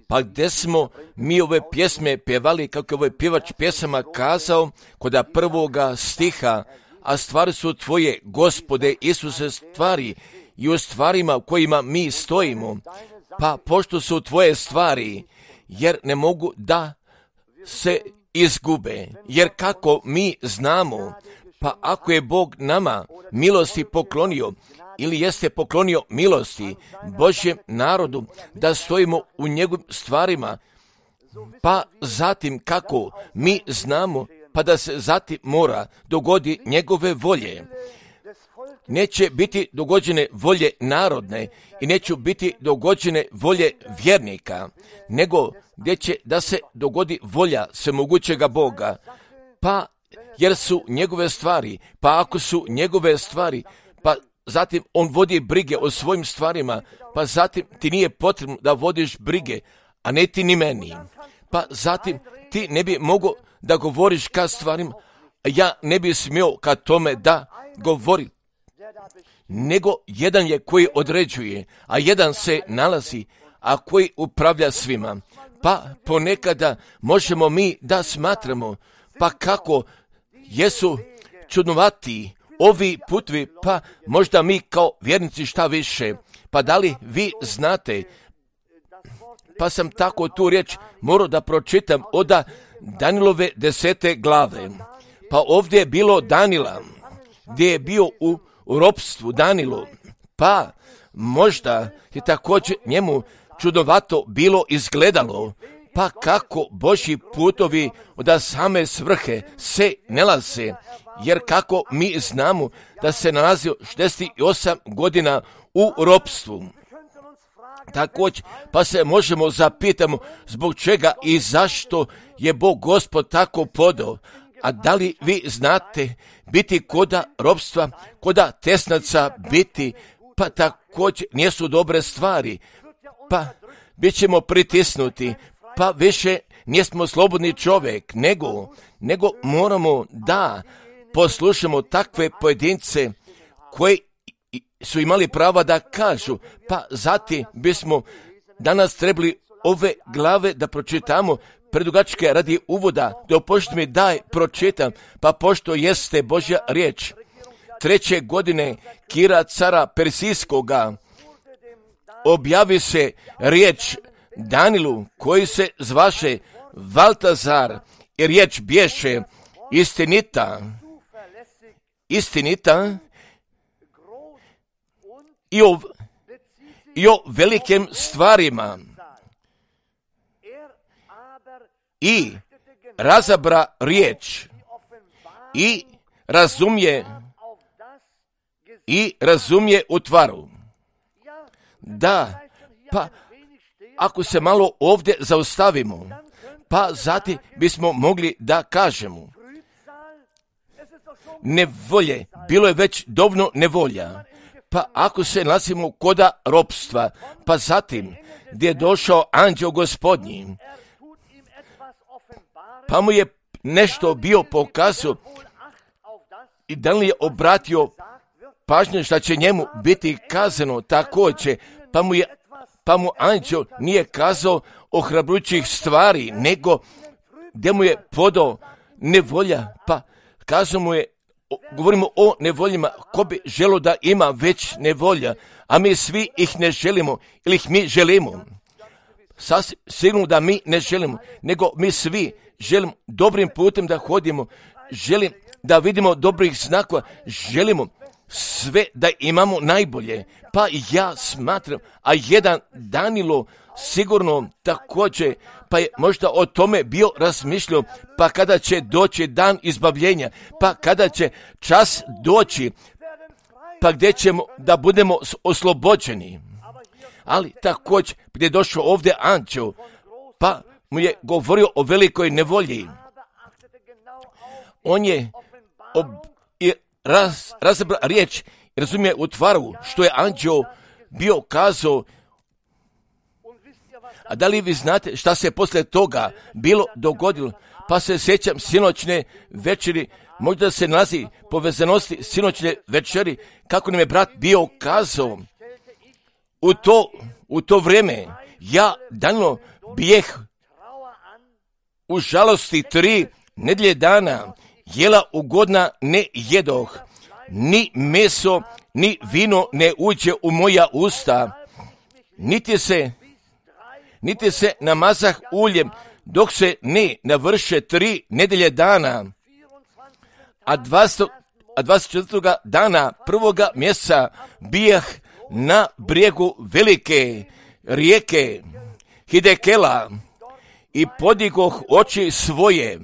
Pa gdje smo mi ove pjesme pjevali, kako je ovaj pjevač pjesama kazao, kod prvoga stiha, a stvari su tvoje, Gospode Isuse, stvari i u stvarima u kojima mi stojimo. Pa pošto su tvoje stvari, jer ne mogu da se izgube, jer kako mi znamo, pa ako je Bog nama milosti poklonio, ili jeste poklonio milosti Božjem narodu, da stojimo u njegovim stvarima, pa zatim kako mi znamo, pa da se zatim mora dogodi njegove volje. Neće biti dogođene volje narodne i neće biti dogođene volje vjernika, nego gdje će da se dogodi volja svemogućega Boga, pa jer su njegove stvari, pa ako su njegove stvari, pa zatim on vodi brige o svojim stvarima, pa zatim ti nije potrebno da vodiš brige, a ne ti ni meni. Pa zatim ti ne bi mogao da govoriš ka stvarima, a ja ne bi smio ka tome da govori, nego jedan je koji određuje, a jedan se nalazi, a koji upravlja svima. Pa ponekada možemo mi da smatramo, pa kako jesu čudnovati ovi putovi, pa možda mi kao vjernici šta više. Pa da li vi znate, pa sam tako tu riječ morao da pročitam od Danilove 10. glave. Pa ovdje je bilo Danila, gdje je bio u ropstvu Danilu, pa možda je također njemu čudnovato bilo izgledalo, pa kako Božji putovi od same svrhe se nalaze, jer kako mi znamo da se nalazio 68 godina u ropstvu. Također, pa se možemo zapitamo zbog čega i zašto je Bog Gospod tako podao. A da li vi znate, biti koda ropstva, koda tesnaca biti, pa također nisu dobre stvari, pa bit ćemo pritisnuti, pa više nismo slobodni čovjek, nego moramo da poslušamo takve pojedince koji su imali prava da kažu, pa zatim bismo danas trebali ove glave da pročitamo predugačke radi uvoda, dopušti mi daj pročitam, pa pošto jeste Božja riječ. 3. godine Kira cara Persijskoga objavi se riječ Danilu, koji se zvaše Valtazar, i riječ bješe istinita i o velikim stvarima. I razabra riječ i razumije utvaru. Da, pa ako se malo ovdje zaustavimo, pa zatim bismo mogli da kažemo nevolje, bilo je već dovoljno nevolja, pa ako se nalazimo koda ropstva, pa zatim gdje je došao anđeo gospodnji, pa mu je nešto bio pokazao i da li je obratio pažnju šta će njemu biti kazano također, pa mu anđeo nije kazao ohrabrujućih stvari, nego gdje mu je podao nevolja, pa kazao mu je, govorimo o nevoljima, ko bi želio da ima već nevolja, a mi svi ih ne želimo, ili ih mi želimo. Sasvim sigurno da mi ne želimo, nego mi svi želimo dobrim putem da hodimo, želim da vidimo dobrih znakova, želimo sve da imamo najbolje. Pa ja smatram, a jedan Danilo sigurno također, pa je možda o tome bio razmišljao, pa kada će doći dan izbavljenja, pa kada će čas doći, pa gdje ćemo da budemo oslobođeni. Ali također gdje je došao ovdje anđeo, pa mu je govorio o velikoj nevolji. On je razabra riječ, razumije utvaru što je anđeo bio kazao. A da li vi znate šta se poslije toga bilo dogodilo? Pa se sjećam sinoćne večeri, možda se nalazi povezanosti sinoćne večeri, kako nam je brat bio kazao. U to vrijeme Ja Danilo bijeh u žalosti 3 nedjelje dana, jela ugodna ne jedoh, ni meso, ni vino ne uđe u moja usta, niti se namazah uljem, dok se ne navrše 3 nedjelje dana. A 24. dana 1. mjeseca bijah na brijegu velike rijeke Hidekela i podigoh oči svoje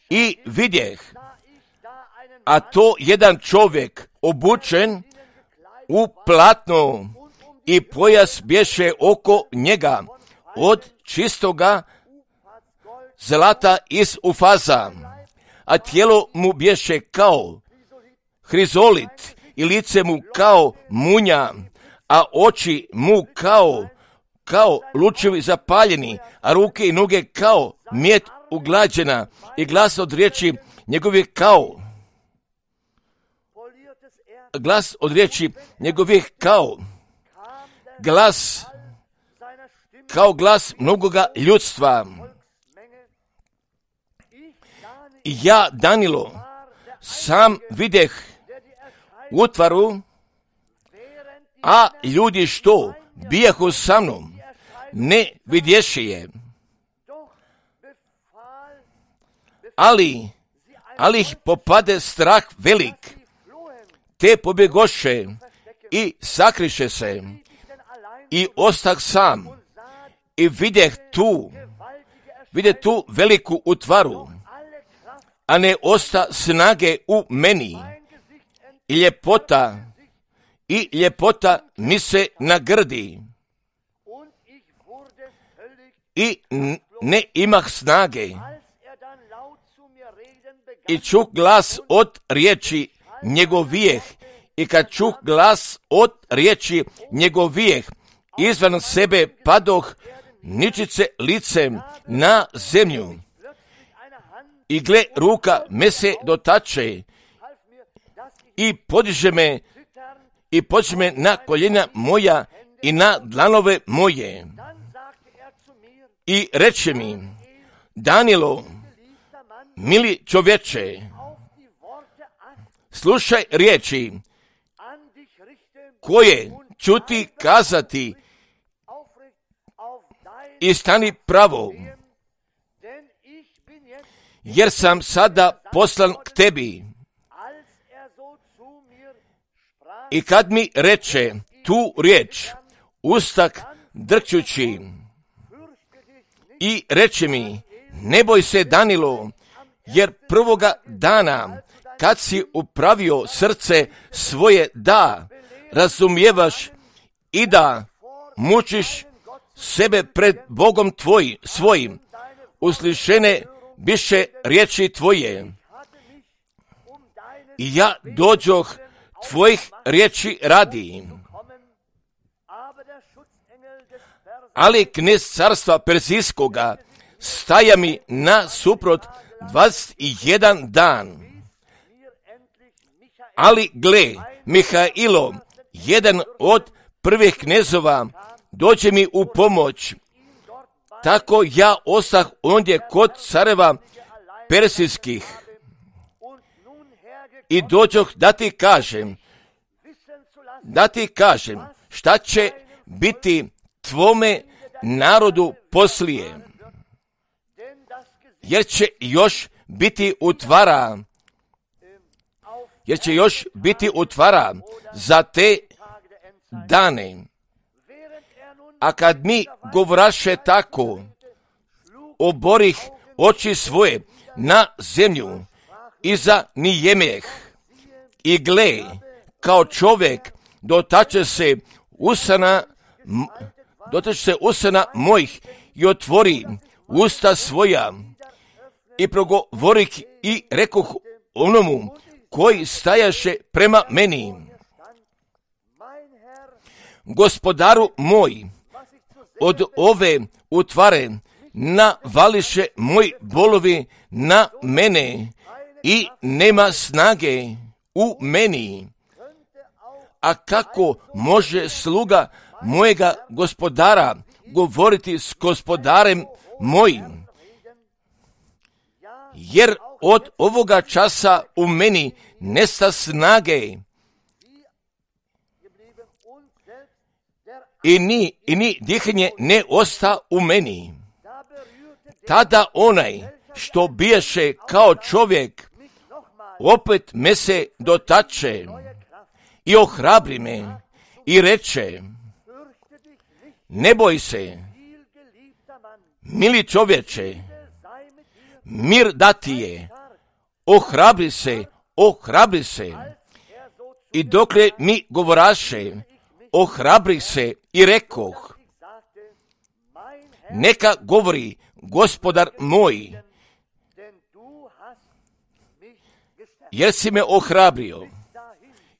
i vidjeh, a to jedan čovjek obučen u platno i pojas bješe oko njega od čistoga zlata iz Ufaza, a tijelo mu bješe kao hrizolit i lice mu kao munja, a oči mu kao lučevi zapaljeni, a ruke i noge kao mjed uglađena i glas od riječi njegovih kao glas mnogoga ljudstva. I ja, Danilo, sam videh utvaru, a ljudi što bijahu sa mnom ne vidješe je, ali ih popade strah velik, te pobjegoše i sakriše se i ostah sam i vidjeh tu veliku utvaru, a ne osta snage u meni i ljepota mi se nagrdi i ne imah snage i čuh glas od riječi njegovijeh i kad čuh glas od riječi njegovijeh izvan sebe padoh ničice licem na zemlju i gle ruka me se dotače i podiže me na koljena moja i na dlanove moje i reče mi: Danilo, mili čovječe, slušaj riječi koje ću ti kazati i stani pravo, jer sam sada poslan k tebi. I kad mi reče tu riječ, ustak drčući i reče mi: ne boj se, Danilo, jer prvoga dana kad si upravio srce svoje da razumijevaš i da mučiš sebe pred Bogom svojim, uslišene biše riječi tvoje. I ja dođoh tvojih riječi radi. Ali knez carstva Perzijskoga staja mi nasuprot 21 dan. Ali gle, Mihailo, jedan od prvih knezova, dođe mi u pomoć. Tako ja ostah ondje kod careva Persijskih. I dođoh da ti kažem šta će biti tvome narodu poslije. Jer će još biti utvara za te dane. A kad mi govoraše tako, oborih oči svoje na zemlju i za nijemeh. I gle, kao čovjek dotače se usana mojih i otvori usta svoja i progovorih i rekoh onomu koji stajaše prema meni: Gospodaru moj, od ove utvare navališe moj bolovi na mene i nema snage u meni. A kako može sluga mojega gospodara govoriti s gospodarem mojim, jer od ovoga časa u meni nesta snage i ni dihanje ne osta u meni. Tada onaj što biješe kao čovjek opet me se dotače i ohrabri me i reče: ne boj se, mili čovječe, mir dati je, ohrabri se. I dokle mi govoraše, ohrabri se i rekoh: neka govori gospodar moj, jer si me ohrabrio.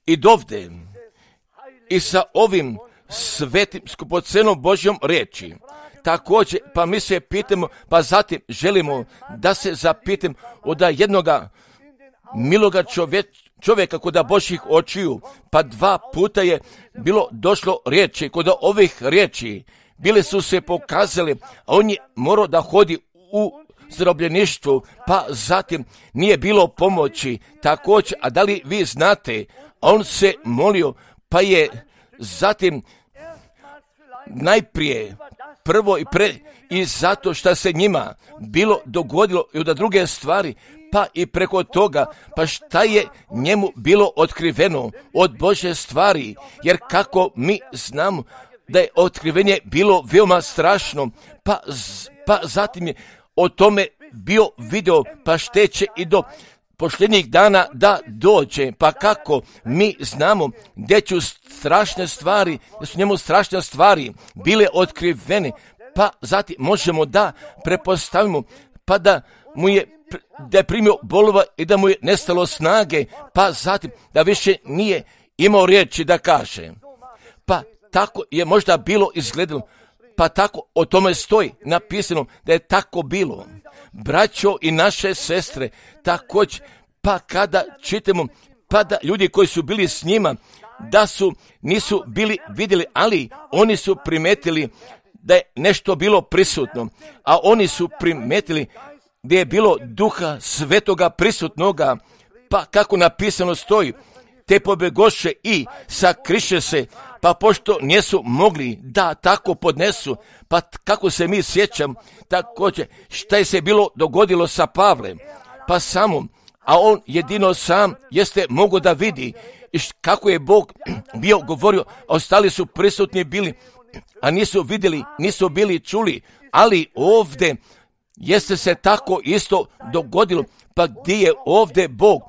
I dovde i sa ovim svetim skupocenom Božjom riječi. Također, pa mi se pitamo, pa zatim želimo da se zapitam od jednoga miloga čovjeka kod Božjih očiju, pa 2 puta je bilo došlo riječi, kod ovih riječi bile su se pokazali, a on je morao da hodi u zarobljeništvu, pa zatim nije bilo pomoći. Također, a da li vi znate, on se molio, pa je zatim najprije prvo i zato što se njima bilo dogodilo i od druge stvari, pa i preko toga, pa šta je njemu bilo otkriveno od Božje stvari, jer kako mi znamo da je otkrivenje bilo veoma strašno, pa zatim je o tome bio video, pa šteće i do posljednjih dana da dođe, pa kako mi znamo gdje su strašne stvari, da su njemu strašne stvari bile otkrivene, pa zatim možemo da prepostavimo, pa da je primio bolova i da mu je nestalo snage, pa zatim da više nije imao riječi da kaže. Pa tako je možda bilo izgledalo, pa tako o tome stoji napisano da je tako bilo. Braćo i naše sestre, također, pa kada čitamo, pa da ljudi koji su bili s njima, nisu bili vidjeli, ali oni su primetili da je nešto bilo prisutno, a oni su primetili gdje je bilo Duha Svetoga prisutnoga, pa kako napisano stoji, te pobegoše i sakriše se, pa pošto nisu mogli da tako podnesu, pa kako se mi sjećam, također šta je se bilo dogodilo sa Pavlem, pa samo, a on jedino sam jeste mogo da vidi kako je Bog bio govorio, ostali su prisutni bili, a nisu vidjeli, nisu bili čuli, ali ovdje jeste se tako isto dogodilo, pa gdje je ovdje Bog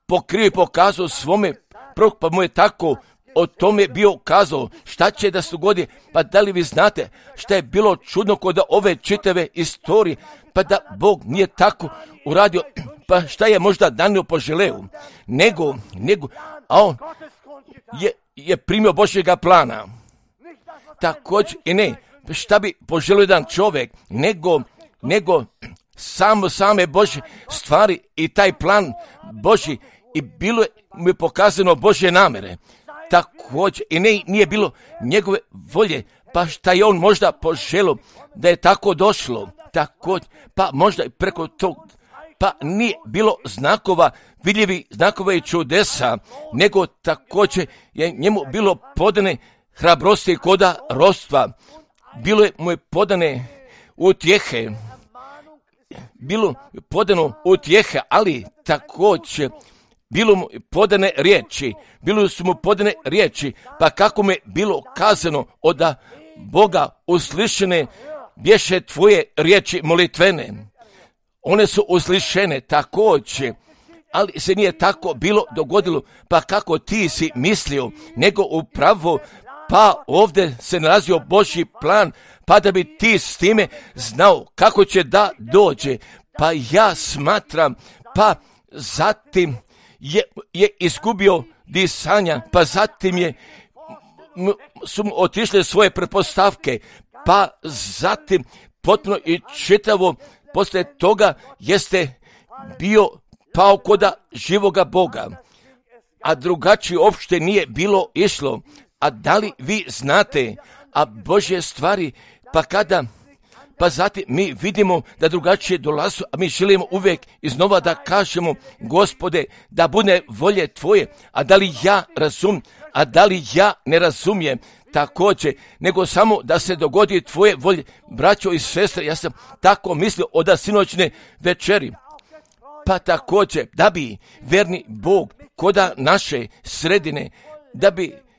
pokrio i pokazao svome proroku, pa mu je tako o tome bio kazao šta će da se dogodi. Pa da li vi znate šta je bilo čudno kod ove čitave istorije, pa da Bog nije tako uradio, pa šta je možda Danilo poželeo, nego a on je primio Božjega plana. Također i ne, šta bi poželio jedan čovjek, nego same Božje stvari i taj plan Božji, i bilo je mu je pokazano Božje namere. Također i nije bilo njegove volje, pa šta je on možda poželio da je tako došlo. Također, pa možda i preko tog, pa nije bilo znakova, vidljivi znakova i čudesa, nego također je njemu bilo podane hrabrosti koda rostva, bilo je mu je podane utjehe, bilo podano utjehe, ali također bilo mu podane riječi, pa kako mu je bilo kazano od Boga uslišene bješe tvoje riječi molitvene. One su uslišene također, ali se nije tako bilo dogodilo, pa kako ti si mislio, nego upravo, pa ovdje se nalazio Božji plan, pa da bi ti s time znao kako će da dođe. Pa ja smatram, pa zatim je izgubio disanja, pa zatim su mu otišle svoje pretpostavke, pa zatim potpuno i čitavo poslije toga jeste bio pao koda živoga Boga, a drugačije uopšte nije bilo išlo. A da li vi znate, a Božje stvari, pa zatim mi vidimo da drugačije dolazu, a mi želimo uvijek iznova da kažemo, Gospode, da bude volje Tvoje, a da li ja razum, a da li ja ne razumijem također, nego samo da se dogodi Tvoje volje. Braćo i sestre, ja sam tako mislio od sinoćne večeri, pa također da bi verni Bog koda naše sredine,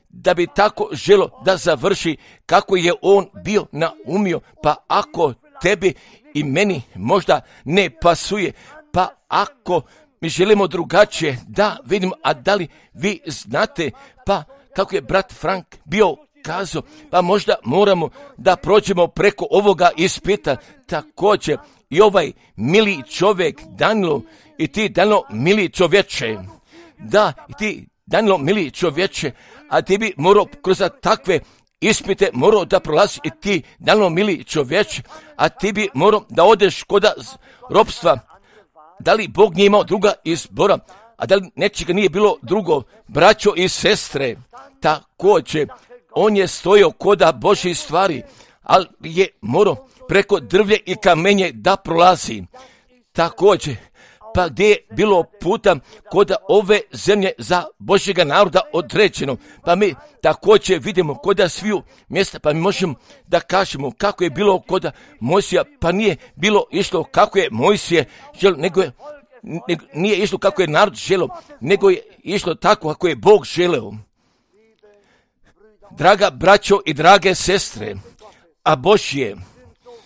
da bi tako želo da završi kako je on bio naumio, pa ako tebi i meni možda ne pasuje, pa ako mi želimo drugačije da vidimo, a da li vi znate, pa kako je brat Frank bio kazao, pa možda moramo da prođemo preko ovoga ispita. Također i ovaj mili čovjek Danilo, i ti Danilo mili čovječe, da, i ti Danilo mili čovječe, a ti bi morao kroz takve ispite morao da prolazi i ti Danilo mili čovječe, a ti bi morao da odeš kod ropstva. Da li Bog nije imao druga izbora, a da li nečega nije bilo drugo, braćo i sestre, također on je stojao koda Božje stvari, ali je morao preko drvlje i kamenje da prolazi. Također, pa gdje je bilo puta koda ove zemlje za Božjega naroda određeno, pa mi također vidimo koda sviju mjesta, pa mi možemo da kažemo kako je bilo koda Mojsija, pa nije bilo išlo kako je Mojsije želio, nego nije išlo kako je narod želio, nego je išlo tako kako je Bog želeo. Draga braćo i drage sestre, a Božje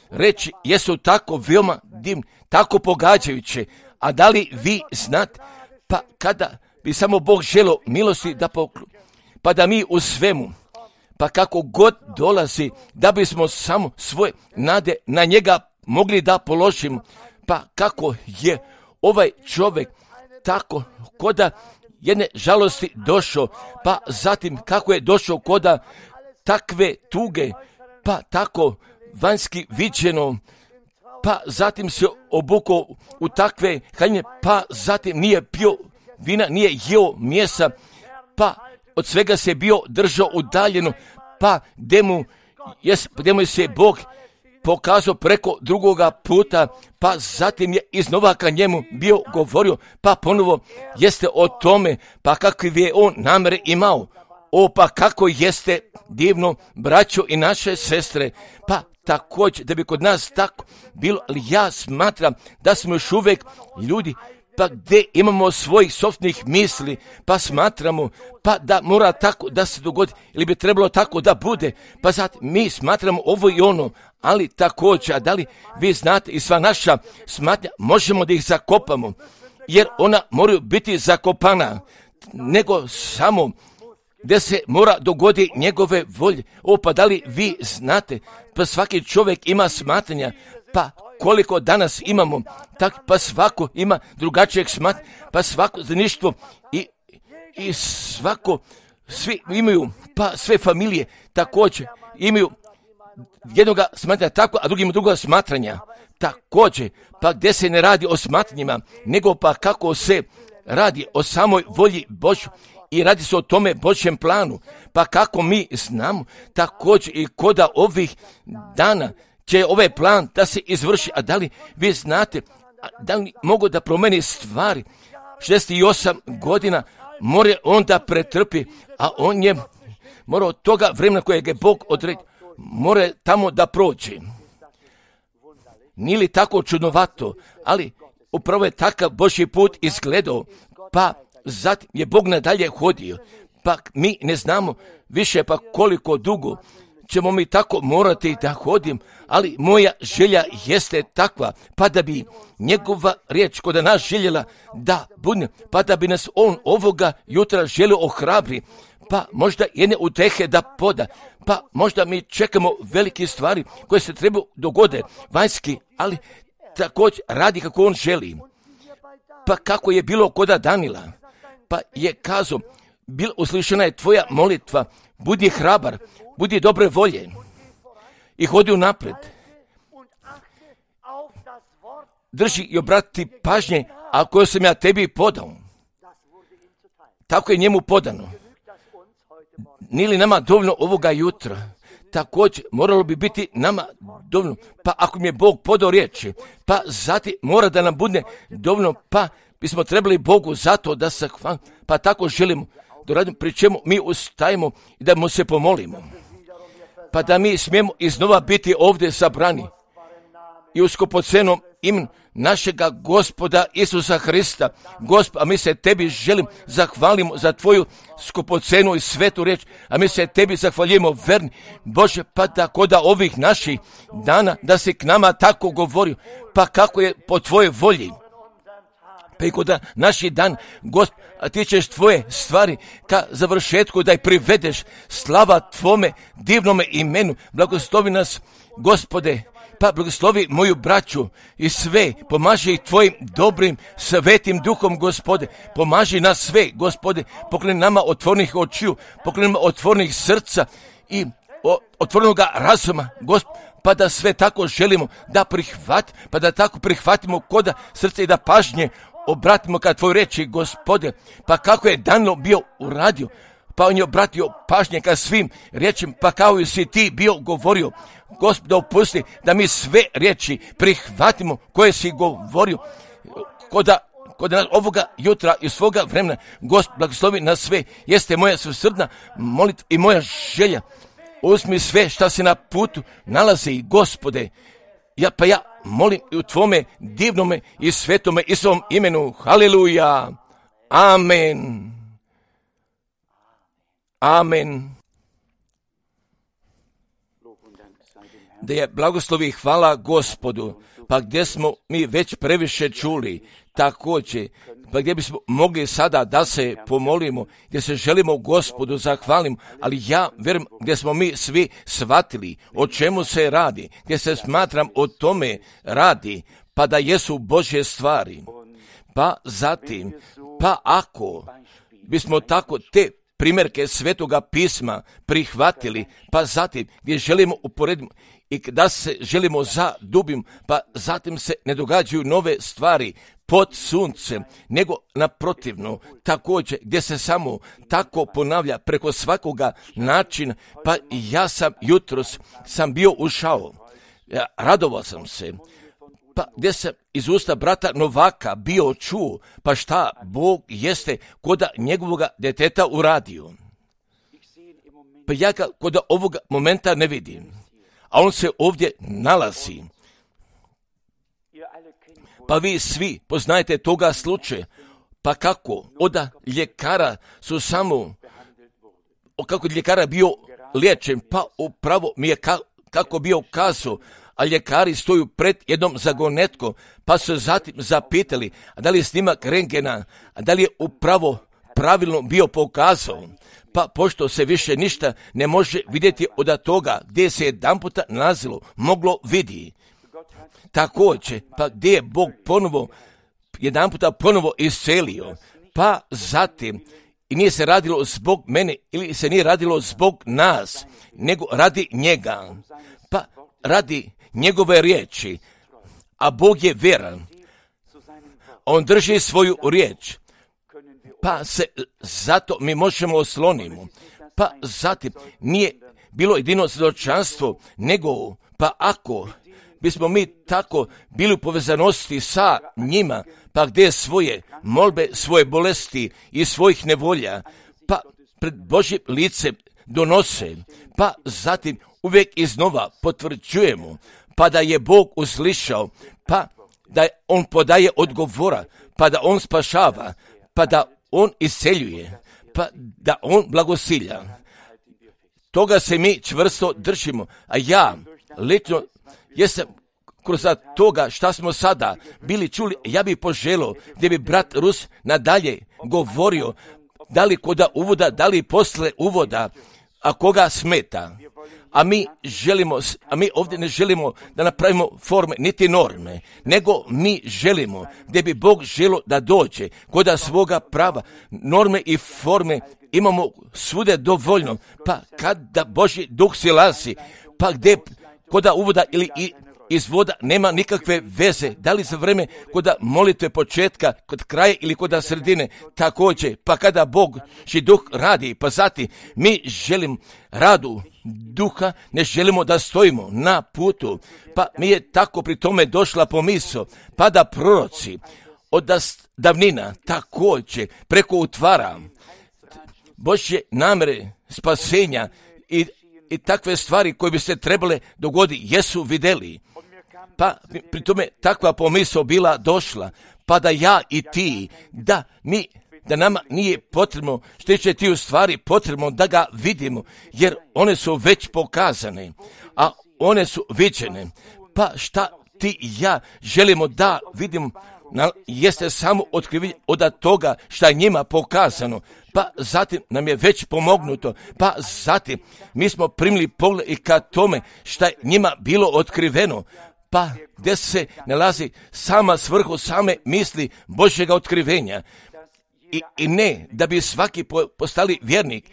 reči jesu tako veoma divne, tako pogađajuće, a da li vi znate, pa kada bi samo Bog želio milosti da pa da mi u svemu, pa kako god dolazi, da bismo samo svoje nade na njega mogli da položimo, pa kako je ovaj čovjek tako koda jedne žalosti došao, pa zatim kako je došao koda takve tuge, pa tako vanjski viđeno, pa zatim se obukao u takve haljine, pa zatim nije pio vina, nije jeo mjesa, pa od svega se bio držao udaljeno, pa gdje mu se Bog pokazao preko drugoga puta, pa zatim je iznova ka njemu bio govorio, pa ponovo jeste o tome, pa kakvi je on namere imao. O, pa kako jeste divno, braćo i naše sestre, pa također da bi kod nas tako bilo, ali ja smatram da smo još uvijek ljudi, pa gdje imamo svojih sopstvenih misli, pa smatramo, pa da mora tako da se dogodi, ili bi trebalo tako da bude, pa zato mi smatramo ovo i ono, ali također, a da li vi znate i sva naša smatnja, možemo da ih zakopamo, jer ona moraju biti zakopana, nego samo gdje se mora dogodi njegove volje. O, pa da li vi znate, pa svaki čovjek ima smatranja, pa koliko danas imamo, tak pa svako ima drugačijeg smatranja, pa svako zaništvo i svako, svi imaju, pa sve familije također imaju jednoga smatranja tako, a drugim druga smatranja također, pa gdje se ne radi o smatranjima, nego pa kako se radi o samoj volji Božju i radi se o tome Božjem planu, pa kako mi znamo također i koda ovih dana će ovaj plan da se izvrši, a da li vi znate, da li mogu da promeni stvari, 68 godina more on da pretrpi, a on je morao od toga vremena kojeg je Bog odredio, more tamo da prođe. Nije li tako čudnovato, ali upravo je takav Božji put izgledao, pa zatim je Bog nadalje hodio, pa mi ne znamo više pa koliko dugo ćemo mi tako morati da hodim, ali moja želja jeste takva, pa da bi njegova riječ kod nas željela da bude, pa da bi nas on ovoga jutra želio ohrabri, pa možda jedne utehe da poda, pa možda mi čekamo velike stvari koje se trebaju dogode, vanjski, ali također radi kako on želi. Pa kako je bilo koda Danila, pa je kazao, uslišena je tvoja molitva, budi hrabar, budi dobre volje i hodi napred. Drži i obrati pažnje, a koje sam ja tebi podao. Tako je njemu podano. Nije li nama dovoljno ovoga jutra? također moralo bi biti nama dovoljno, pa ako mi je Bog podao riječi, pa zatim mora da nam bude dovoljno, pa bismo trebali Bogu zato da se hvalimo, pa tako želimo da radimo, pri čemu mi ustajemo i da mu se pomolimo, pa da mi smijemo iznova biti ovdje sabrani i u skupocenom imenu našega Gospoda Isusa Hrista. Gospod, a mi se tebi želim zahvalimo za tvoju skupocenu i svetu riječ, a mi se tebi zahvaljujemo verni Bože, pa tako da ovih naših dana da si k nama tako govorio, pa kako je po tvojoj volji. Pa i kod naši dan, Gospod, a ti ćeš tvoje stvari ka završetku da ih privedeš, slava tvome divnome imenu, blagoslovi nas, Gospode, pa blagoslovi moju braću i sve, pomaži ih tvojim dobrim, svetim duhom, Gospode, pomaži nas sve, Gospode, pokloni nama otvornih očiju, pokloni nama otvornih srca i otvorenoga razuma, Gospode, pa da sve tako želimo da prihvatimo, pa da tako prihvatimo koda srce i da pažnje obratimo ka tvoj reči, Gospode, pa kako je Danilo bio uradio, pa on je obratio pažnje ka svim riječima, pa kao i si ti bio govorio, Gospod, opusti da mi sve riječi prihvatimo koje si govorio kod nas ovoga jutra i svoga vremena. Gospod, blagoslovi nas sve, jeste moja svesrdna molitva i moja želja. Uzmi sve šta se na putu nalazi, Gospode, ja molim u tvome divnome i svetome i svom imenu. Haleluja. Amen. Amen. Da je blagoslovi hvala Gospodu, pa gdje smo mi već previše čuli, također, pa gdje bismo mogli sada da se pomolimo, gdje se želimo Gospodu zahvalimo, ali ja vjerujem gdje smo mi svi shvatili o čemu se radi, gdje se smatram o tome radi, pa da jesu Božje stvari. Pa zatim, pa ako bismo tako te primjerke Svetoga pisma prihvatili, pa zatim gdje želimo uporediti i da se želimo zadubim, pa zatim se ne događaju nove stvari pod suncem, nego naprotivno, također gdje se samo tako ponavlja preko svakoga načina, pa ja sam jutros bio ušao, radovao sam se, pa gdje sam iz usta brata Novaka bio čuo, pa šta Bog jeste koda njegovoga djeteta uradio. Pa ja ga koda ovoga momenta ne vidim, a on se ovdje nalazi. Pa vi svi poznajete toga slučaja, pa kako od ljekara su samo, kako ljekara bio liječen, pa upravo mi je kako bio kazao, a ljekari stoju pred jednom zagonetkom, pa su zatim zapitali, a da li je snimak rentgena, a da li je upravo pravilno bio pokazao, pa pošto se više ništa ne može vidjeti od toga gdje se jedanputa nalazilo, moglo vidi. Također, pa gdje je Bog jedanputa ponovo iscelio, pa zatim, i nije se radilo zbog mene, ili se nije radilo zbog nas, nego radi njega, pa radi njegove riječi, a Bog je vjeran, on drži svoju riječ, pa se zato mi možemo oslonimo, pa zatim nije bilo jedino svjedočanstvo, nego pa ako bismo mi tako bili u povezanosti sa njima, pa gdje svoje molbe, svoje bolesti i svojih nevolja, pa pred Božjim licem donose, pa zatim uvijek iznova potvrđujemo, pa da je Bog uslišao, pa da on podaje odgovora, pa da on spašava, pa da on isceljuje, pa da on blagosilja. Toga se mi čvrsto držimo, a ja lično jesam kroz toga šta smo sada bili čuli, ja bih poželio gdje bi brat Rus nadalje govorio, da li koda uvoda, da li posle uvoda, a koga smeta. A mi ovdje ne želimo da napravimo forme niti norme, nego mi želimo gdje bi Bog želio da dođe koda svoga prava. Norme i forme imamo svude dovoljno, pa kada Božji duh silazi, pa gdje koda uvoda ili iz voda nema nikakve veze, da li za vreme kod molitve početka, kod kraja ili kod sredine, također, pa kada Božji duh radi, pa zatim mi želimo radu duha, ne želimo da stojimo na putu, pa mi je tako pri tome došla pomisao, pa da proroci od davnina također preko utvara Božje namere spasenja i takve stvari koje bi se trebale dogoditi, jesu vidjeli. Pa pri tome takva pomisao bila došla, pa da ja i ti, da nama nije potrebno što će ti u stvari potrebno da ga vidimo, jer one su već pokazane, a one su viđene. Pa šta ti i ja želimo da vidimo, jeste samo otkrivenje od toga šta je njima pokazano, pa zatim nam je već pomognuto, pa zatim mi smo primili pogled i ka tome šta je njima bilo otkriveno, pa gdje se nalazi sama svrhu same misli Božjega otkrivenja. I ne da bi svaki postali vjernik,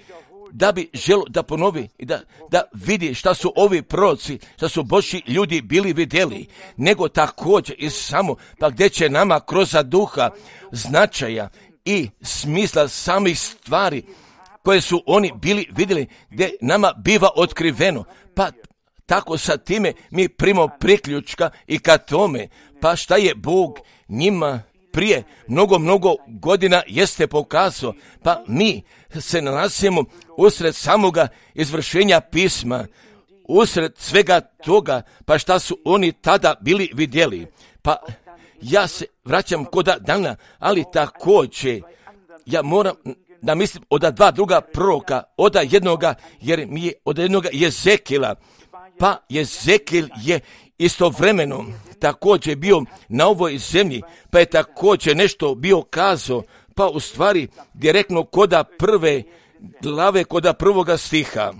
da bi želo da ponovi i da vidi šta su ovi proroci, šta su Božji ljudi bili vidjeli, nego također i samo pa gdje će nama kroz duha značaja i smisla samih stvari koje su oni bili vidjeli, gdje nama biva otkriveno, pa tako sa time mi primamo priključka i ka tome, pa šta je Bog njima prije mnogo godina jeste pokazao, pa mi se nalazimo usred samoga izvršenja pisma, usred svega toga, pa šta su oni tada bili vidjeli. Pa ja se vraćam kod dana, ali također ja moram da mislim od dva druga proroka, od jednoga, jer mi je od jednoga Jezekila, pa Jezekil je istovremeno također bio na ovoj zemlji, pa je također nešto bio kazao, pa u stvari direktno koda prve glave, koda prvoga stiha.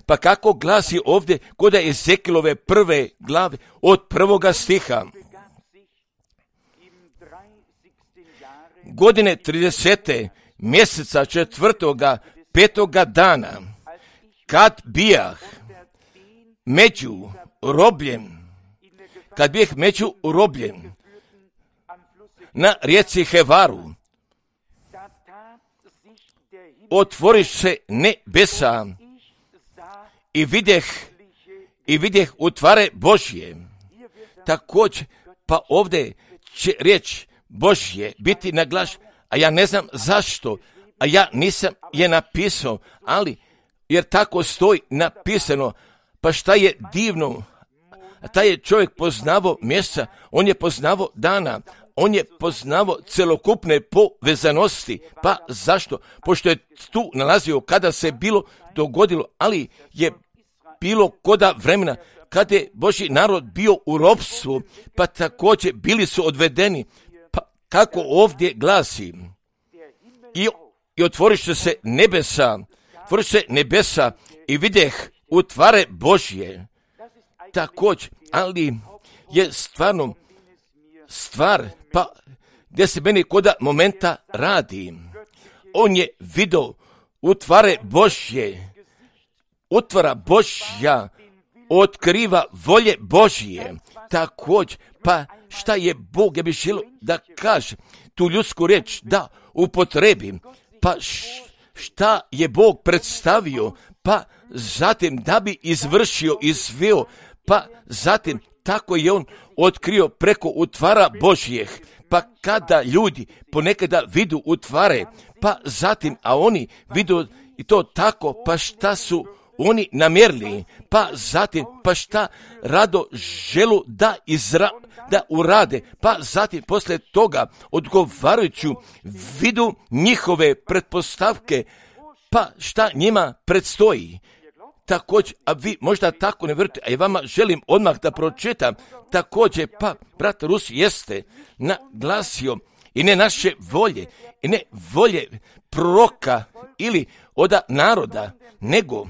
Pa kako glasi ovdje koda Ezekilove prve glave od prvoga stiha. Godine 30. mjeseca 4. 5. dana, kad bijah među robljem, na rijeci Hevaru, otvoriš se nebesa i vidjeh utvare Božje. Također, pa ovdje će riječ Božje biti naglaš, a ja ne znam zašto, a ja nisam je napisao, ali jer tako stoji napisano, pa šta je divno, a taj je čovjek poznavao mjeseca, on je poznavao dana, on je poznavao celokupne povezanosti, pa zašto? Pošto je tu nalazio kada se bilo dogodilo, ali je bilo koda vremena, kada je Božji narod bio u ropstvu, pa također bili su odvedeni, pa kako ovdje glasi, i otvoriš se nebesa i vidjeh utvare Božje. Također, ali je stvarno stvar, pa gdje se meni koda momenta radi. On je vidio utvare Božje, utvara Božja, otkriva volje Božje. Također, pa šta je Bog, ja bih želio da kaže tu ljudsku riječ, da upotrebim, pa šta je Bog predstavio, pa zatim da bi izvršio i sveo, pa zatim tako je on otkrio preko utvara Božjih, pa kada ljudi ponekada vidu utvare, pa zatim, a oni vidu i to tako, pa šta su oni namjerili, pa zatim, pa šta rado želu da urade, pa zatim poslije toga odgovarajući vidu njihove pretpostavke, pa šta njima predstoji. Također, a vi možda tako ne vjerujete, a i vama želim odmah da pročitam, također, pa brat Rus jeste naglasio i ne naše volje, i ne volje proroka ili oda naroda, nego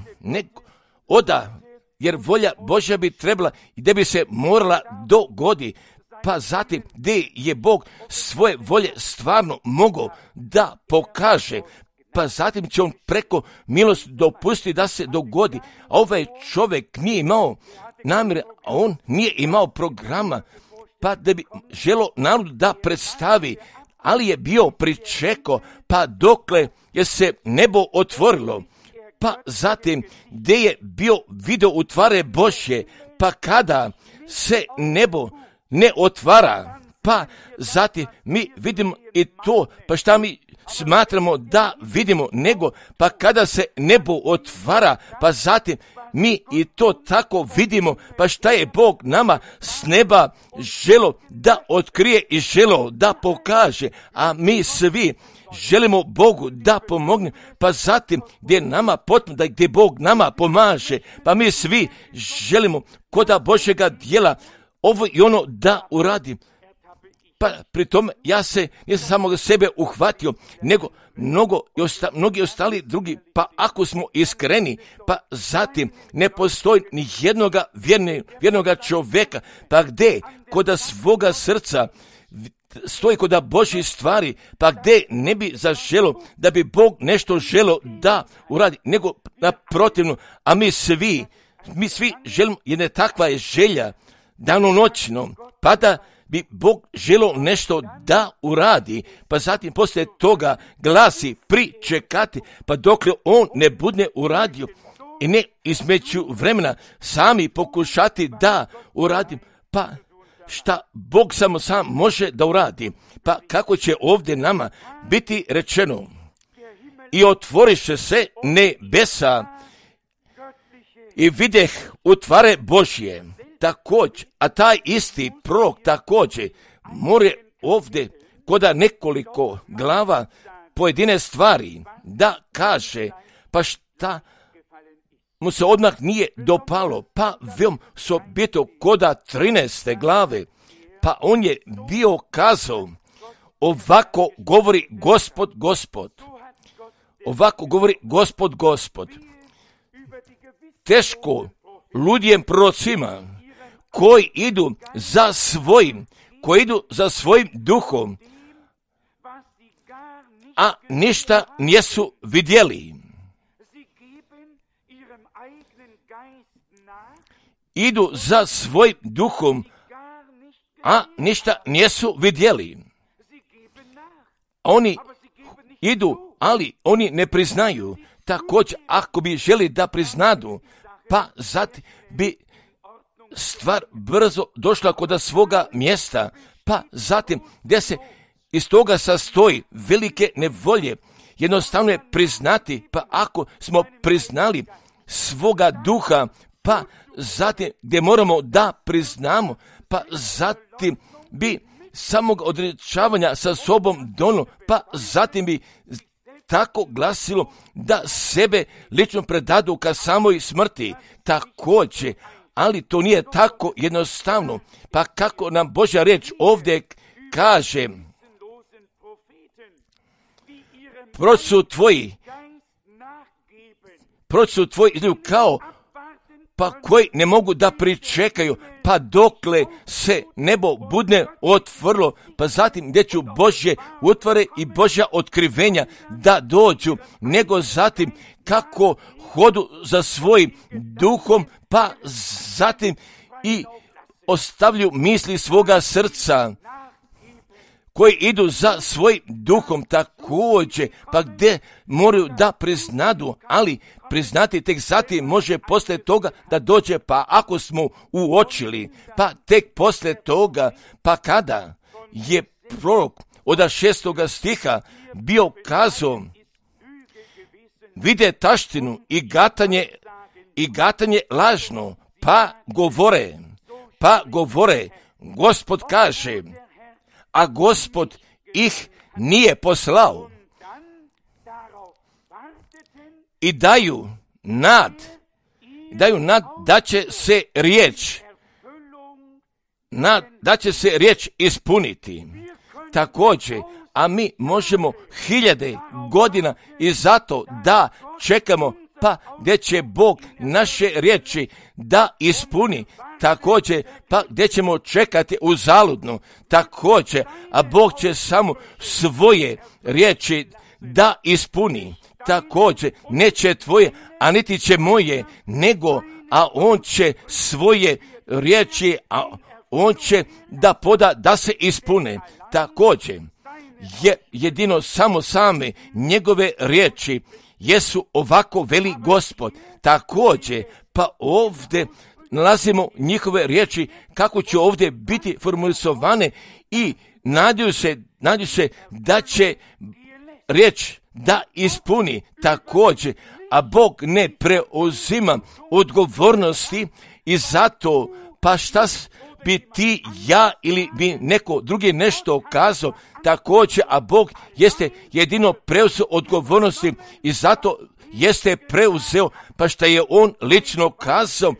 oda, jer volja Božja bi trebala i da bi se morala dogoditi, pa zatim gdje je Bog svoje volje stvarno mogao da pokaže, pa zatim će on preko milosti dopustiti da se dogodi. A ovaj čovjek nije imao namjere, a on nije imao programa, pa da bi želo narodu da predstavi, ali je bio pričekao, pa dokle je se nebo otvorilo, pa zatim gdje je bio video utvare Božje, pa kada se nebo ne otvara, pa zatim mi vidimo i to, pa šta mi smatramo da vidimo, nego pa kada se nebo otvara, pa zatim mi i to tako vidimo, pa šta je Bog nama s neba želo da otkrije i želo da pokaže, a mi svi želimo Bogu da pomogne, pa zatim gdje nama potrebno, da gdje Bog nama pomaže, pa mi svi želimo koda Božjega djela ovo i ono da uradim. Pa pri tome ja se nisam samo sebe uhvatio, nego mnogi ostali drugi, pa ako smo iskreni, pa zatim ne postoji ni jednoga vjernoga čovjeka, pa gdje koda svoga srca stoji koda Božji stvari, pa gdje ne bi zaželo da bi Bog nešto želo da uradi, nego naprotivno, a mi svi želimo, jedne takva je želja danonoćno, pa da bi Bog želo nešto da uradi, pa zatim poslije toga glasi pričekati, pa dokle on ne bude uradio i ne između vremena sami pokušati da uradim, pa šta Bog samo sam može da uradi, pa kako će ovdje nama biti rečeno i otvoriše se nebesa i videh utvare Božje. Također, a taj isti prorok također more ovdje koda nekoliko glava pojedine stvari da kaže, pa šta mu se odmah nije dopalo, pa veom sobito koda 13. glave, pa on je bio kazao, ovako govori Gospod, ovako govori Gospod, teško ludjem prorocima, koji idu za svojim duhom, a ništa nisu vidjeli. Idu za svojim duhom, a ništa nisu vidjeli. Oni idu, ali oni ne priznaju. Također, ako bi želi da priznadu, pa zatim bi stvar brzo došla kod svoga mjesta, pa zatim gdje se iz toga sastoji velike nevolje, jednostavno je priznati, pa ako smo priznali svoga duha, pa zatim gdje moramo da priznamo, pa zatim bi samog odrečavanja sa sobom donilo, pa zatim bi tako glasilo da sebe lično predadu ka samoj smrti. Također, ali to nije tako jednostavno. Pa kako nam Božja riječ ovdje kaže, proč su tvoji izgledaju kao, pa koji ne mogu da pričekaju, pa dokle se nebo bude otvorilo, pa zatim gdje ću Božje utvare i Božja otkrivenja da dođu, nego zatim kako hodu za svojim duhom, pa zatim i ostavlju misli svoga srca, koji idu za svojim duhom također, pa gdje moraju da priznadu, ali priznati tek zatim može poslije toga da dođe, pa ako smo uočili, pa tek poslije toga, pa kada je prorok od 6. stiha bio kazao, vide taštinu i gatanje lažno, pa govore, Gospod kaže, a Gospod ih nije poslao. I daju nad da će se riječ ispuniti. Također, a mi možemo 1000 godina i zato da čekamo, pa gdje će Bog naše riječi da ispuni. Također, pa gdje ćemo čekati uzaludno. Također, a Bog će samo svoje riječi da ispuni. Također, neće tvoje, a niti će moje, nego a on će svoje riječi, a on će da poda da se ispune. Također, jedino samo same njegove riječi jesu ovako veli Gospod. Također, pa ovdje nalazimo njihove riječi kako će ovdje biti formulisovane i nadaju se da će riječ da ispuni također, a Bog ne preuzima odgovornosti i zato pa šta bi ti, ja ili bi neko drugi nešto kazao također, a Bog jeste jedino preuzeo odgovornosti i zato jeste preuzeo pa šta je on lično kazao,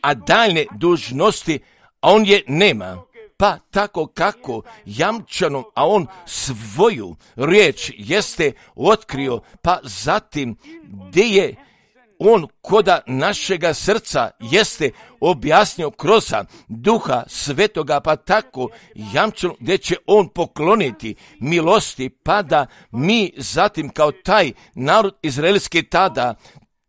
a daljne dužnosti, a on je nema. Pa tako kako jamčano, a on svoju riječ jeste otkrio, pa zatim gdje je on koda našega srca jeste objasnio kroz Duha Svetoga, pa tako jamčano gdje će on pokloniti milosti, pa da mi zatim kao taj narod izraelski tada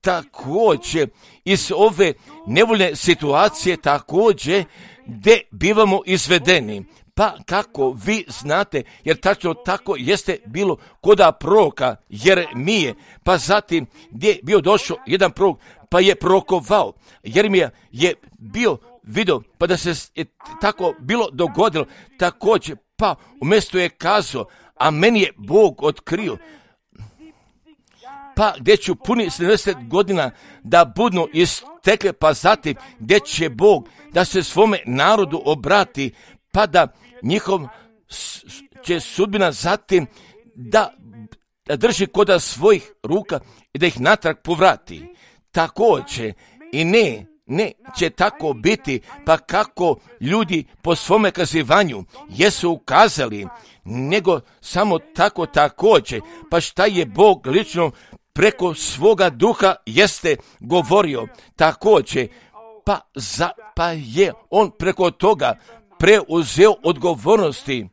također iz ove nevoljne situacije također gdje bivamo izvedeni. Pa kako vi znate, jer tačno tako jeste bilo koda proroka Jeremije, pa zatim gdje je bio došao jedan prorok, pa je prorokovao. Jeremija je bio vidio, pa da se je tako bilo dogodilo također, pa umjesto je kazao, a meni je Bog otkrio, pa gdje ću puni 70 godina da budnu istekle, pa zatim gdje će Bog da se svome narodu obrati, pa da njihov će sudbina zatim da drži koda svojih ruka i da ih natrag povrati. Također i ne će tako biti, pa kako ljudi po svome kazivanju jesu ukazali, nego samo tako također, pa šta je Bog lično preko svoga duha jeste govorio također, pa je on preko toga preuzeo odgovornosti.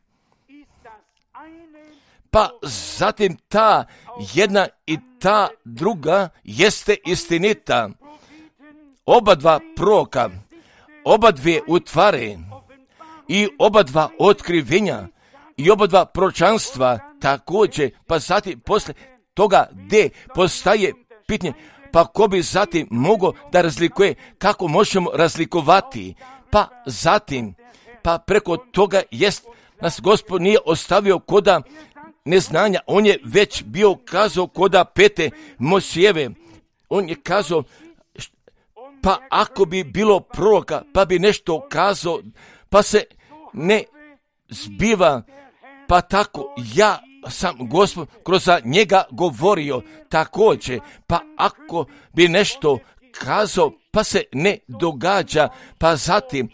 Pa zatim ta jedna i ta druga jeste istinita. Oba dva proroka, oba dvije utvare i oba dva otkrivenja i oba dva proročanstva također, pa zatim posle toga gdje postaje pitanje, pa ko bi zatim mogao da razlikuje, kako možemo razlikovati, pa zatim, pa preko toga jest, nas Gospod nije ostavio koda neznanja, on je već bio kazao koda pete Mojsijeve, on je kazao, pa ako bi bilo proroka, pa bi nešto kazao, pa se ne zbiva, pa tako ja sam Gospod kroz njega govorio također, pa ako bi nešto kazao, pa se ne događa, pa zatim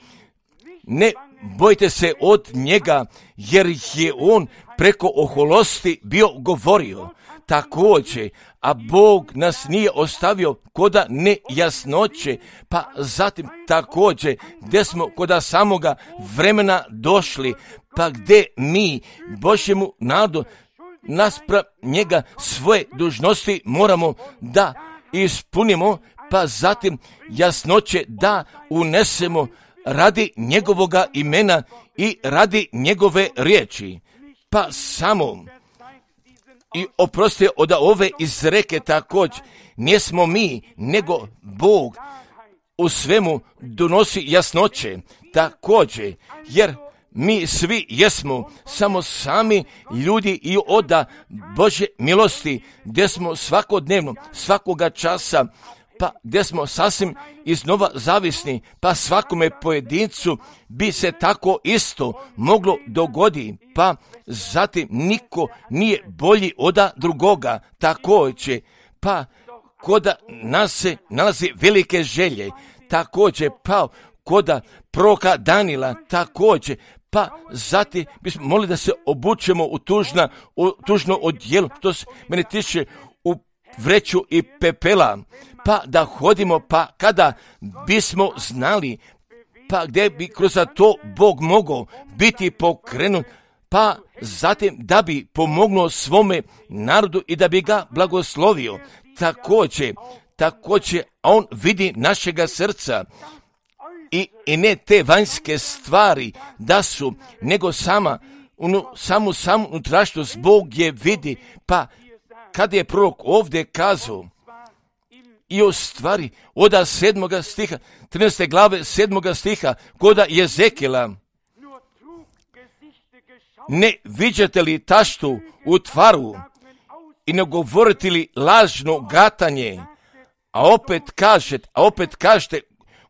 ne bojte se od njega, jer je on preko oholosti bio govorio također, a Bog nas nije ostavio koda nejasnoće, pa zatim također gdje smo koda samoga vremena došli, pa gdje mi Božjemu narodu naspram njega svoje dužnosti moramo da ispunimo, pa zatim jasnoće da unesemo radi njegovoga imena i radi njegove riječi. Pa samo i oprosti od ove izreke također, nismo mi, nego Bog u svemu donosi jasnoće također, jer mi svi jesmo samo sami ljudi i oda Božje milosti, gdje smo svakodnevno, svakoga časa, pa gdje smo sasvim iznova zavisni, pa svakome pojedincu bi se tako isto moglo dogoditi, pa zatim niko nije bolji oda drugoga također, pa koda nas se nalazi velike želje, također pa koda proroka Danila također, pa zatim bismo molili da se obučemo u tužno odjelo, što se mene tiče u vreću i pepela, pa da hodimo, pa kada bismo znali, pa gdje bi kroz to Bog mogao biti pokrenut, pa zatim da bi pomognuo svome narodu i da bi ga blagoslovio. također on vidi našega srca i ne te vanjske stvari da su, nego samu unutrašnjost Bog je vidi. Pa kad je prorok ovdje kazao i o stvari od 7. stiha, 13. glave 7. stiha, koda Jezekila, ne viđate li taštu u tvaru i ne govorite li lažno gatanje, a opet kažete,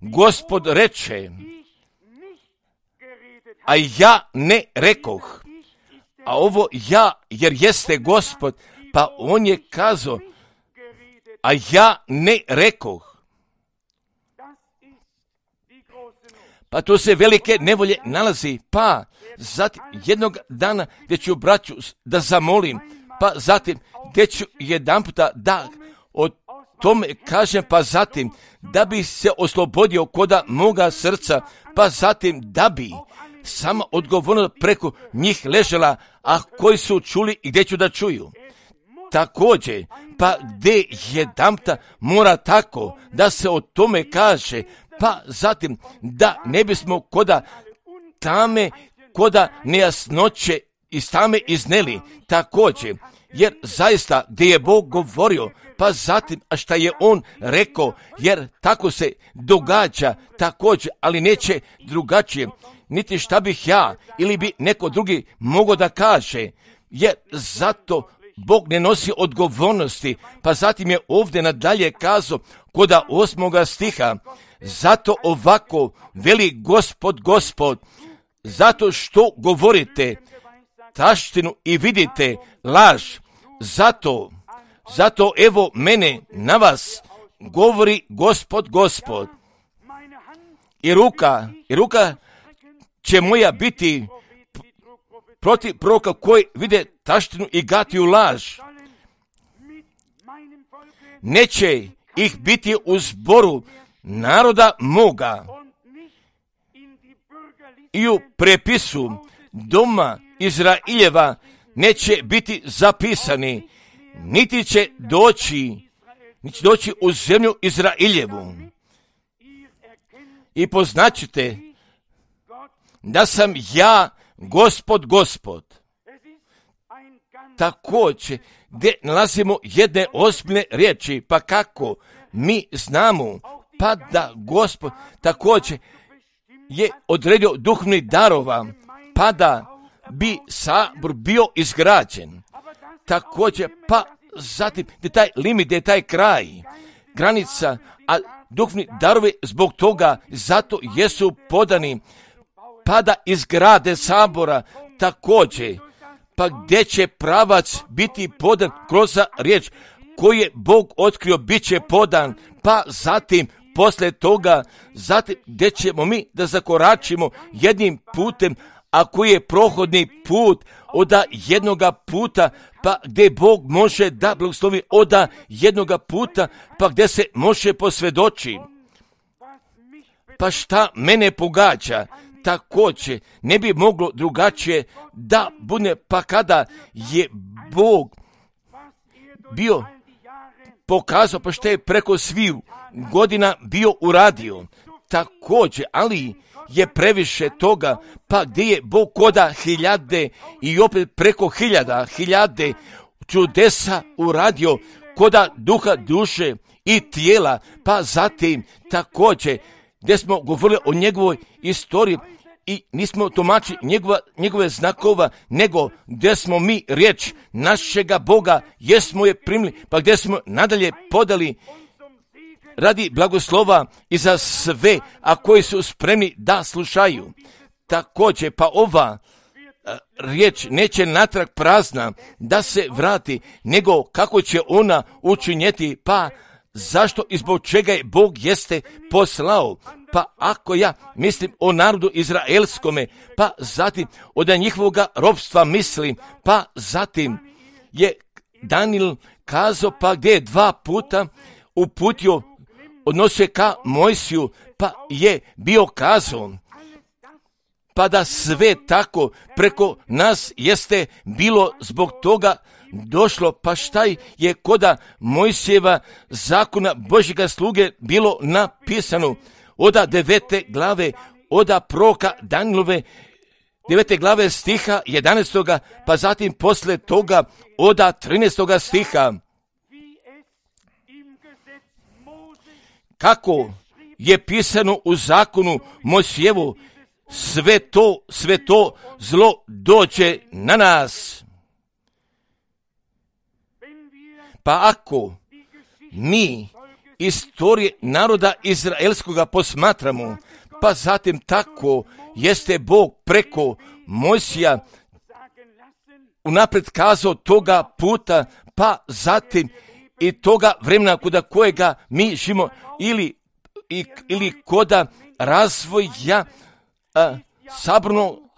Gospod reče, a ja ne rekoh, a ovo ja, jer jeste Gospod, pa on je kazao, a ja ne rekoh. Pa to se velike nevolje nalazi, pa zatim jednog dana gdje ću braću da zamolim, pa zatim gdje ću jedan puta da o tome kažem, pa zatim da bi se oslobodio koda moga srca, pa zatim da bi sama odgovornost preko njih ležela, a koji su čuli i gdje ću da čuju. Također, pa gdje jedanputa mora tako da se o tome kaže, pa zatim da ne bismo koda nejasnoće iz tame izneli, također, jer zaista gdje je Bog govorio, pa zatim, a šta je on rekao, jer tako se događa također, ali neće drugačije, niti šta bih ja ili bi neko drugi mogao da kaže, jer zato Bog ne nosi odgovornosti, pa zatim je ovdje nadalje kazao koda 8. stiha, zato ovako veli Gospod, zato što govorite taštinu i vidite laž, zato evo mene na vas govori Gospod. I ruka će moja biti protiv proroka koji vide taštinu i gatiju laž. Neće ih biti u zboru naroda moga i u prepisu doma Izraeljeva neće biti zapisani, niti će doći u zemlju Izraeljevu. I poznaćete da sam ja Gospod. Također, gdje nalazimo jedne ozbiljne riječi, pa kako mi znamo, pa da Gospod također je odredio duhovnih darova, pa da bi sabor bio izgrađen. Također, pa zatim, gdje taj limit, gdje taj kraj, granica, a duhovni darovi zbog toga, zato jesu podani, pa da izgrade sabora također, pa gdje će pravac biti podan kroz riječ koju je Bog otkrio, bit će podan, pa zatim poslije toga, zatim gdje ćemo mi da zakoračimo jednim putem, a koji je prohodni put od jednoga puta, pa gdje Bog može da blagoslovi od jednoga puta, pa gdje se može posvjedoči. Pa šta mene pogađa, također ne bi moglo drugačije da bude, pa kada je Bog bio pokazao, pa što je preko svih godina bio uradio, također, ali je previše toga, pa gdje je Bog koda hiljade i opet preko hiljade čudesa uradio koda duha, duše i tijela, pa zatim također gdje smo govorili o njegovoj istoriji i nismo tumačili njegove znakova, nego gdje smo mi riječ našega Boga, jesmo je primili, pa gdje smo nadalje podali radi blagoslova i za sve, a koji su spremni da slušaju. Također, pa ova riječ neće natrag prazna da se vrati, nego kako će ona učinjeti, pa zašto i zbog čega je Bog jeste poslao. Pa ako ja mislim o narodu izraelskome, pa zatim od njihovoga ropstva mislim, pa zatim je Danijel kazao, pa gdje je 2 puta uputio odnosio ka Mojsiju, pa je bio kazao, pa da sve tako preko nas jeste bilo zbog toga, došlo, pa šta je koda Mojsijeva zakona Božjega sluge bilo napisano? Oda 9. glave, oda proroka Danilove 9. glave stiha 11. pa zatim posle toga oda 13. stiha. Kako je pisano u zakonu Mojsijevu, sve to zlo dođe na nas. Pa ako mi istorije naroda izraelskoga posmatramo, pa zatim tako jeste Bog preko Mojsija unaprijed kazao toga puta, pa zatim i toga vremena koda kojega mi živimo ili koda razvoja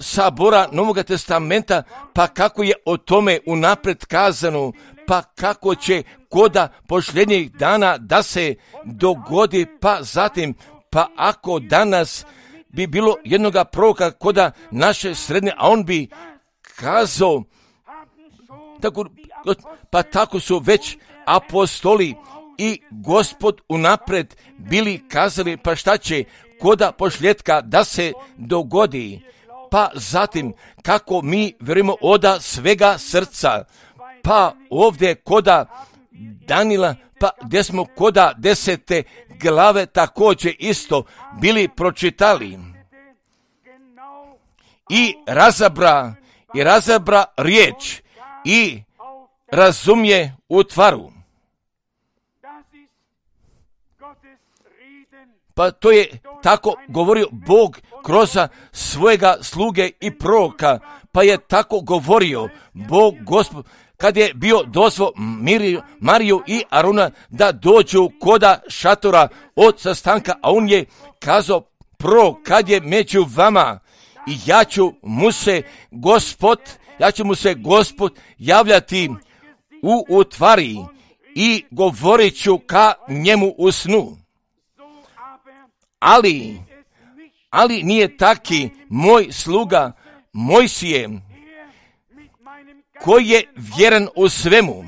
sabora Novoga testamenta, pa kako je o tome unaprijed kazano, pa kako će koda posljednjih dana da se dogodi, pa zatim, pa ako danas bi bilo jednoga proroka koda naše srednje, a on bi kazao, pa tako su već apostoli i Gospod unaprijed bili kazali, pa šta će koda posljedka da se dogodi, pa zatim kako mi vjerujemo oda svega srca, pa ovdje koda Danila, pa gdje smo koda 10. glave također isto bili pročitali i razabra riječ i razumije utvaru. Pa to je tako govorio Bog kroz svojega sluge i proroka, pa je tako govorio Bog Gospod kad je bio dozvo Mariju i Aruna da dođu koda šatora od sastanka, a on je kazao prorok kad je među vama i ja ću mu se Gospod javljati u utvari i govorit ću ka njemu u snu. Ali nije taki moj sluga Mojsije, koji je vjeran u svemu,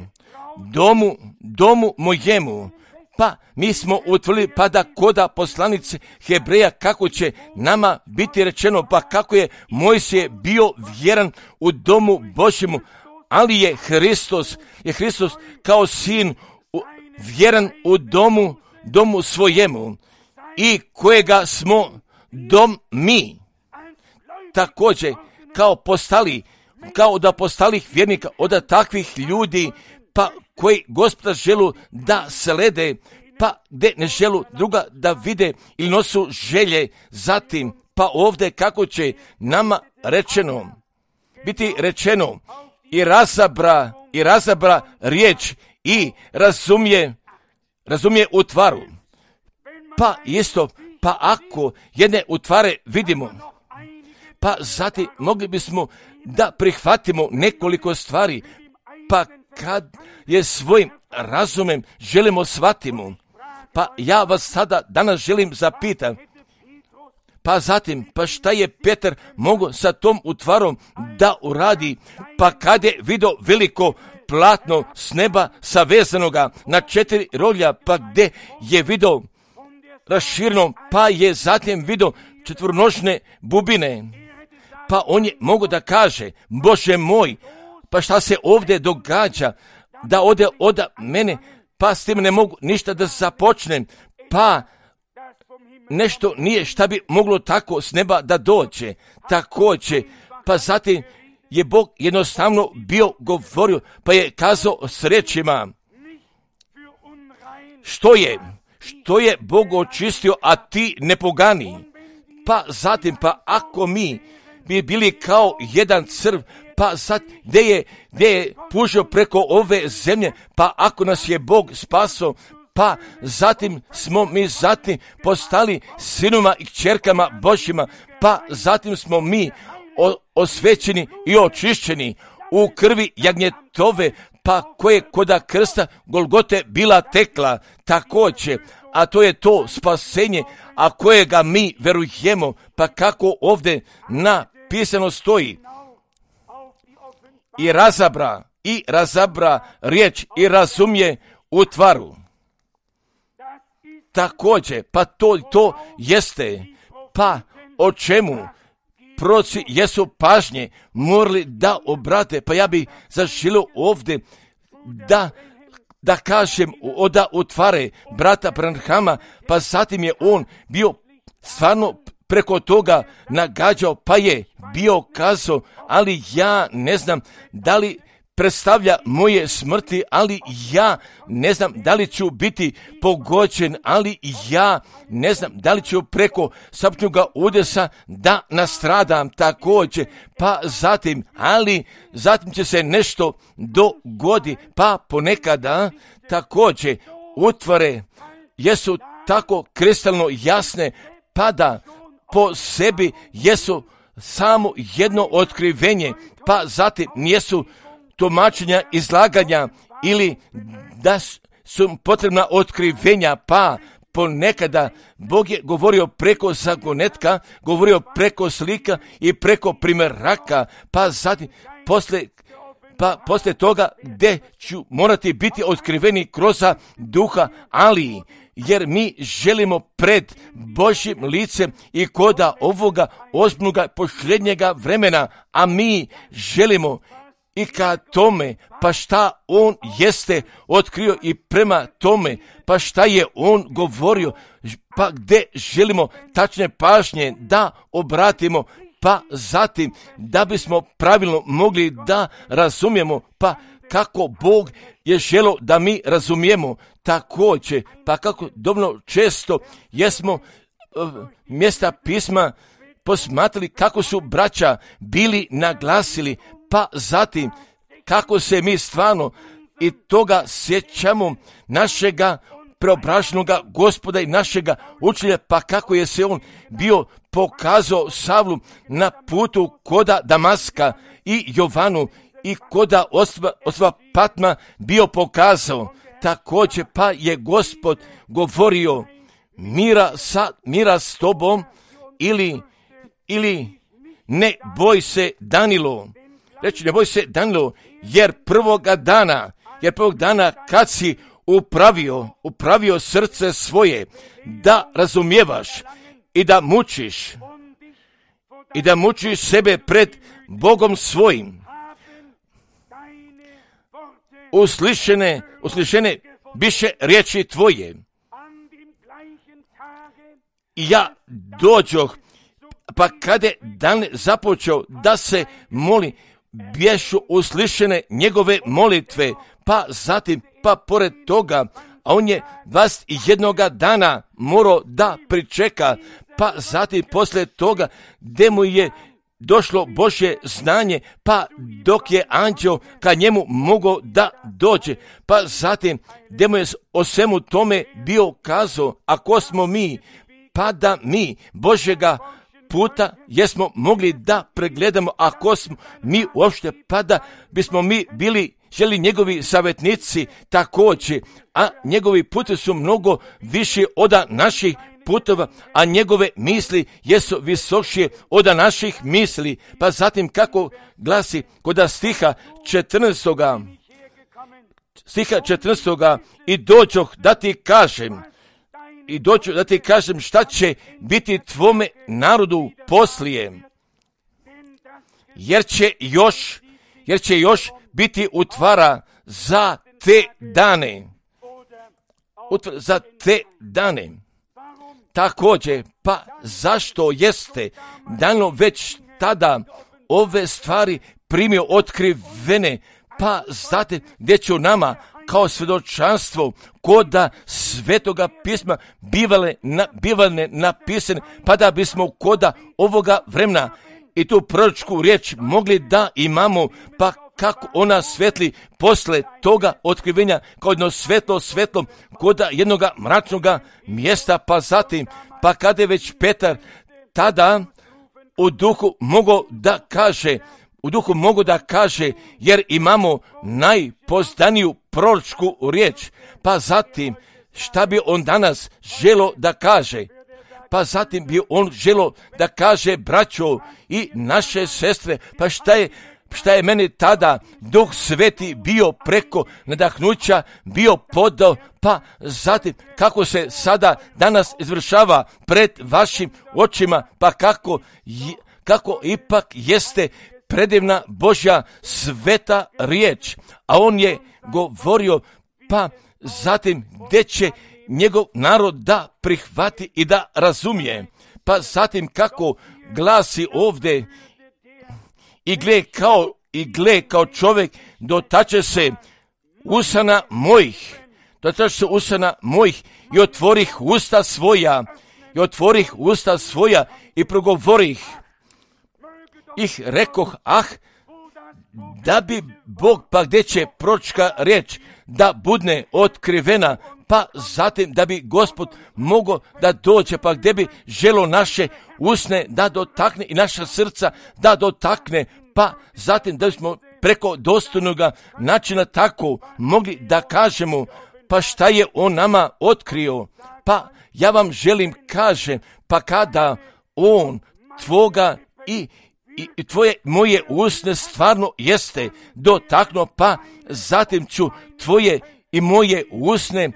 domu mojemu. Pa mi smo utvrdili, pa da koda poslanice Hebreja, kako će nama biti rečeno, pa kako je Mojsije bio vjeran u domu Božjemu, ali je Hristos kao sin vjeran u domu svojemu, i kojega smo dom mi. Također kao da postalih vjernika od takvih ljudi, pa koji Gospoda želu da slede, pa gdje ne želu druga da vide ili nosu želje zatim, pa ovdje kako će nama biti rečeno i razabra riječ i razumije utvaru. Pa isto, pa ako jedne utvare vidimo, pa zatim mogli bismo da prihvatimo nekoliko stvari, pa kad je svojim razumem želimo shvatimo, pa ja vas sada danas želim zapitati, pa zatim, pa šta je Petar mogao sa tom utvarom da uradi, pa kad je vidio veliko platno s neba savezanoga na 4 rolja, pa gdje je vidio raširno, pa je zatim vidio 4-nožne bubine, pa on je mogao da kaže, Bože moj, pa šta se ovdje događa, da ode od mene, pa s tim ne mogu ništa da započnem, pa nešto nije šta bi moglo tako s neba da dođe, također, pa zatim je Bog jednostavno bio govorio, pa je kazao s rečima, što je Bog očistio, a ti ne pogani. Pa zatim, pa ako mi bi bili kao jedan crv, pa sad gdje je pužio preko ove zemlje, pa ako nas je Bog spasao, pa zatim smo mi postali sinuma i kćerkama Božjima, pa zatim smo mi osvećeni i očišćeni u krvi jagnjetove, pa koje koda krsta Golgote bila tekla također, a to je to spasenje, a kojega mi verujemo, pa kako ovdje napisano stoji, i razabra riječ i razumije utvaru. Također, pa to jeste, pa o čemu proroci jesu pažnje morali da obrate, pa ja bi zaželio ovdje da kažem da utvare brata Branhama, pa zatim je on bio stvarno preko toga nagađao, pa je bio kazao, ali ja ne znam da li predstavlja moje smrti, ali ja ne znam da li ću biti pogođen, ali ja ne znam da li ću preko smrtnoga udesa da nastradam također, pa zatim će se nešto dogodi, pa ponekada također utvare jesu tako kristalno jasne, pa da po sebi jesu samo jedno otkrivenje, pa zatim nijesu tumačenja, izlaganja ili da su potrebna otkrivenja, pa ponekada Bog je govorio preko zagonetka, govorio preko slika i preko primjeraka, pa zatim poslije toga gdje ću morati biti otkriveni kroz duha, ali jer mi želimo pred Božjim licem i koda ovoga ozbiljnoga posljednjega vremena, a mi želimo i ka tome, pa šta on jeste otkrio i prema tome, pa šta je on govorio, pa gdje želimo tačne pažnje da obratimo, pa zatim da bismo pravilno mogli da razumijemo, pa kako Bog je želio da mi razumijemo također, pa kako dovoljno često jesmo mjesta pisma posmatrali kako su braća bili naglasili, pa zatim kako se mi stvarno i toga sjećamo našega preobraženog Gospoda i našega učitelja, pa kako je se on bio pokazao Savlu na putu koda Damaska i Jovanu i koda ostva Patma bio pokazao. Također pa je Gospod govorio mira s tobom ili ne boj se Danilo. Reći ne boj se Danilo, jer prvog dana kad si upravio srce svoje da razumijevaš i da mučiš sebe pred Bogom svojim. Uslišene biše riječi tvoje. I ja dođoh, pa kada je dan započeo da se moli, bješu uslišene njegove molitve, pa zatim, pa pored toga, a on je 21 dana morao da pričeka, pa zatim poslije toga gdje mu je došlo Božje znanje, pa dok je anđeo ka njemu mogao da dođe, pa zatim gdje mu je o svemu tome bio kazao, ako smo mi, pa da mi Božjega puta jesmo mogli da pregledamo, ako smo mi uopšte, pa da bismo mi bili želi njegovi savjetnici također, a njegovi putevi su mnogo više od naših putova, a njegove misli jesu visošije od naših misli. Pa zatim kako glasi kod stiha 14. I dođoh da ti kažem šta će biti tvome narodu poslije, jer će još biti utvara za te dane. Također, pa zašto jeste dano već tada ove stvari primio otkrivene, pa znate gdje će nama kao svjedočanstvo koda Svetoga pisma bivale napisane, pa da bismo koda ovoga vremena i tu proročku riječ mogli da imamo, pa kako ona svetli posle toga otkrivenja kao jedno svetlo koda jednog mračnog mjesta, pa zatim, pa kada je već Petar tada u duhu mogu da kaže, jer imamo najpozdaniju proročku riječ, pa zatim šta bi on danas želo da kaže? Pa zatim bi on želo da kaže braćo i naše sestre, pa šta je šta je meni tada Duh Sveti bio preko nadahnuća, bio podao, pa zatim kako se sada danas izvršava pred vašim očima, pa kako ipak jeste predivna Božja sveta riječ, a on je govorio, pa zatim gdje će njegov narod da prihvati i da razumije, pa zatim kako glasi ovdje, i gle kao čovjek dotače se usana mojih, i otvorih usta svoja i progovorih ih, rekoh, da bi Bog, pa gdje će proročka riječ da budne otkrivena, pa zatim da bi Gospod mogao da dođe, pa gdje bi želo naše usne da dotakne i naša srca da dotakne, pa zatim da bismo preko dostojnoga načina tako mogli da kažemo, pa šta je on nama otkrio. Pa ja vam želim kažem, pa kada on tvoga i tvoje moje usne stvarno jeste dotaknuo, pa zatim ću tvoje i moje usne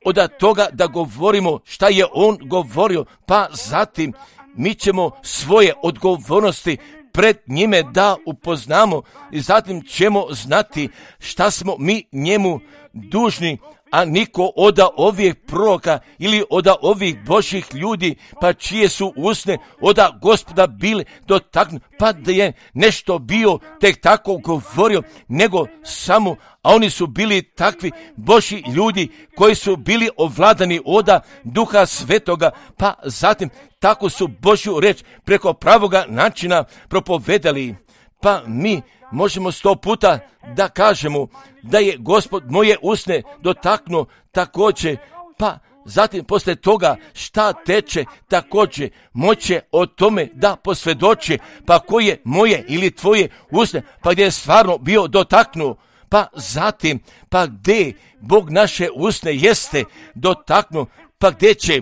od toga da govorimo šta je on govorio, pa zatim mi ćemo svoje odgovornosti pred njime da upoznamo i zatim ćemo znati šta smo mi njemu dužni, a niko od ovih proroka ili od ovih Božih ljudi, pa čije su usne od Gospoda bili dotaknuti, pa da je nešto bio tek tako govorio, nego samo, a oni su bili takvi Božji ljudi koji su bili ovladani od Duha Svetoga, pa zatim tako su Božju reč preko pravoga načina propovedali. Pa mi možemo 100 puta da kažemo da je Gospod moje usne dotaknuo također, pa zatim poslije toga šta teče također moće o tome da posvjedoči, pa koje moje ili tvoje usne, pa gdje je stvarno bio dotaknuo, pa zatim, pa gdje Bog naše usne jeste dotaknuo, pa gdje će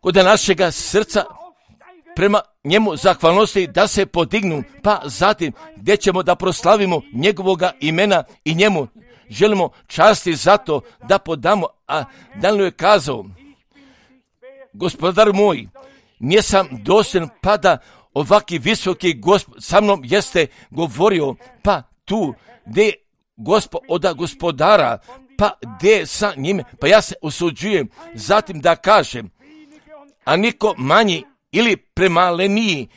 kod našega srca prema njemu zahvalnosti da se podignu, pa zatim gdje ćemo da proslavimo njegovoga imena i njemu želimo časti zato da podamo. A Danilo je kazao, gospodar moj, nisam dostojan pa da ovaki visoki Gospod sa mnom jeste govorio, pa tu gdje Gospod od gospodara, pa gdje sa njime, pa ja se usuđujem zatim da kažem, a niko manji ili premaleniji,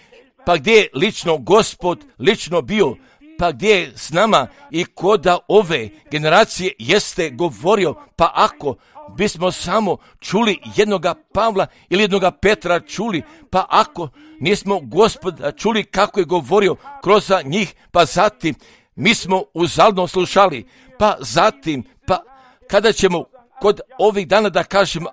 pa gdje je lično Gospod lično bio, pa gdje je s nama i koda ove generacije jeste govorio, pa ako bismo samo čuli jednoga Pavla ili jednoga Petra čuli, pa ako nismo Gospoda čuli kako je govorio kroz njih, pa zatim mi smo uzaludno slušali, pa zatim, pa kada ćemo kod ovih dana da kažem,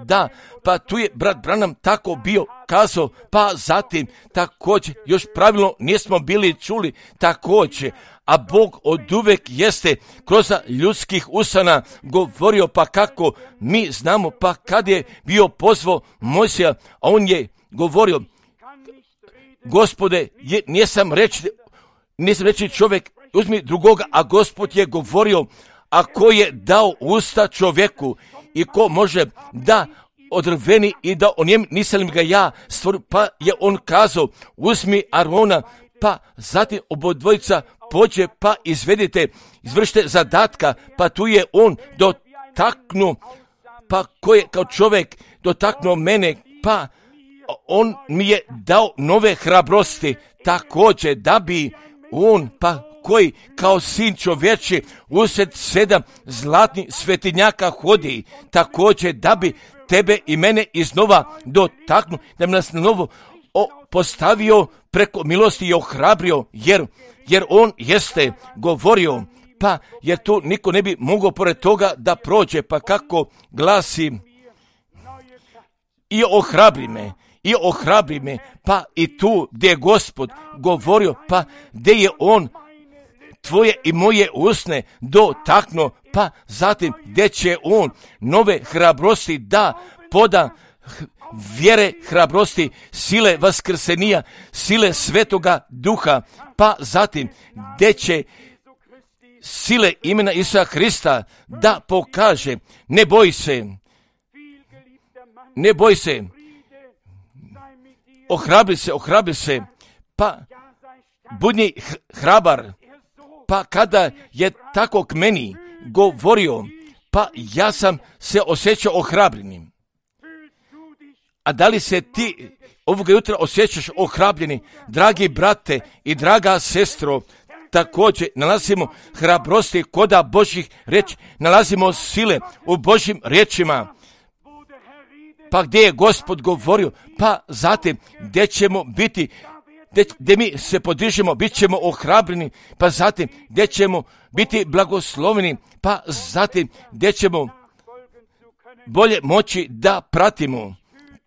da, pa tu je brat Branham tako bio kazao, pa zatim također još pravilno nismo bili čuli također, a Bog oduvek jeste kroz ljudskih usana govorio, pa kako mi znamo, pa kad je bio pozvao Mojsija, a on je govorio, Gospode, nisam reći čovjek, uzmi drugoga, a Gospod je govorio, a ko je dao usta čovjeku i ko može da odrveni i da o njem nisam ga ja stvorio, pa je on kazao, uzmi Arona, pa zatim obodvojica pođe, pa izvršite zadatka, pa tu je on dotaknuo, pa ko je kao čovjek dotaknuo mene, pa on mi je dao nove hrabrosti, također da bi on, pa koji kao sin čovječi usred 7 zlatnih svetinjaka hodi, također da bi tebe i mene iznova dotaknuo, da bi nas na novo postavio preko milosti i ohrabrio, jer on jeste govorio, pa jer tu niko ne bi mogao pored toga da prođe, pa kako glasi, i ohrabri me, pa i tu gdje je Gospod govorio, pa gdje je on tvoje i moje usne dotaknuo, pa zatim gdje će on nove hrabrosti da poda vjere, hrabrosti, sile vaskrsenija, sile Svetoga Duha, pa zatim gdje će sile imena Isusa Hrista da pokaže, ne boj se, ohrabri se, pa budi hrabar, pa kada je tako k meni govorio, pa ja sam se osjećao ohrabrenim. A da li se ti ovoga jutra osjećaš ohrabljeni, dragi brate i draga sestro? Također nalazimo hrabrosti koda Božjih riječi, nalazimo sile u Božjim riječima. Pa gdje je Gospod govorio, pa zatim gdje ćemo biti, gdje mi se podižemo, bit ćemo ohrabreni, pa zatim gdje ćemo biti blagosloveni, pa zatim gdje ćemo bolje moći da pratimo.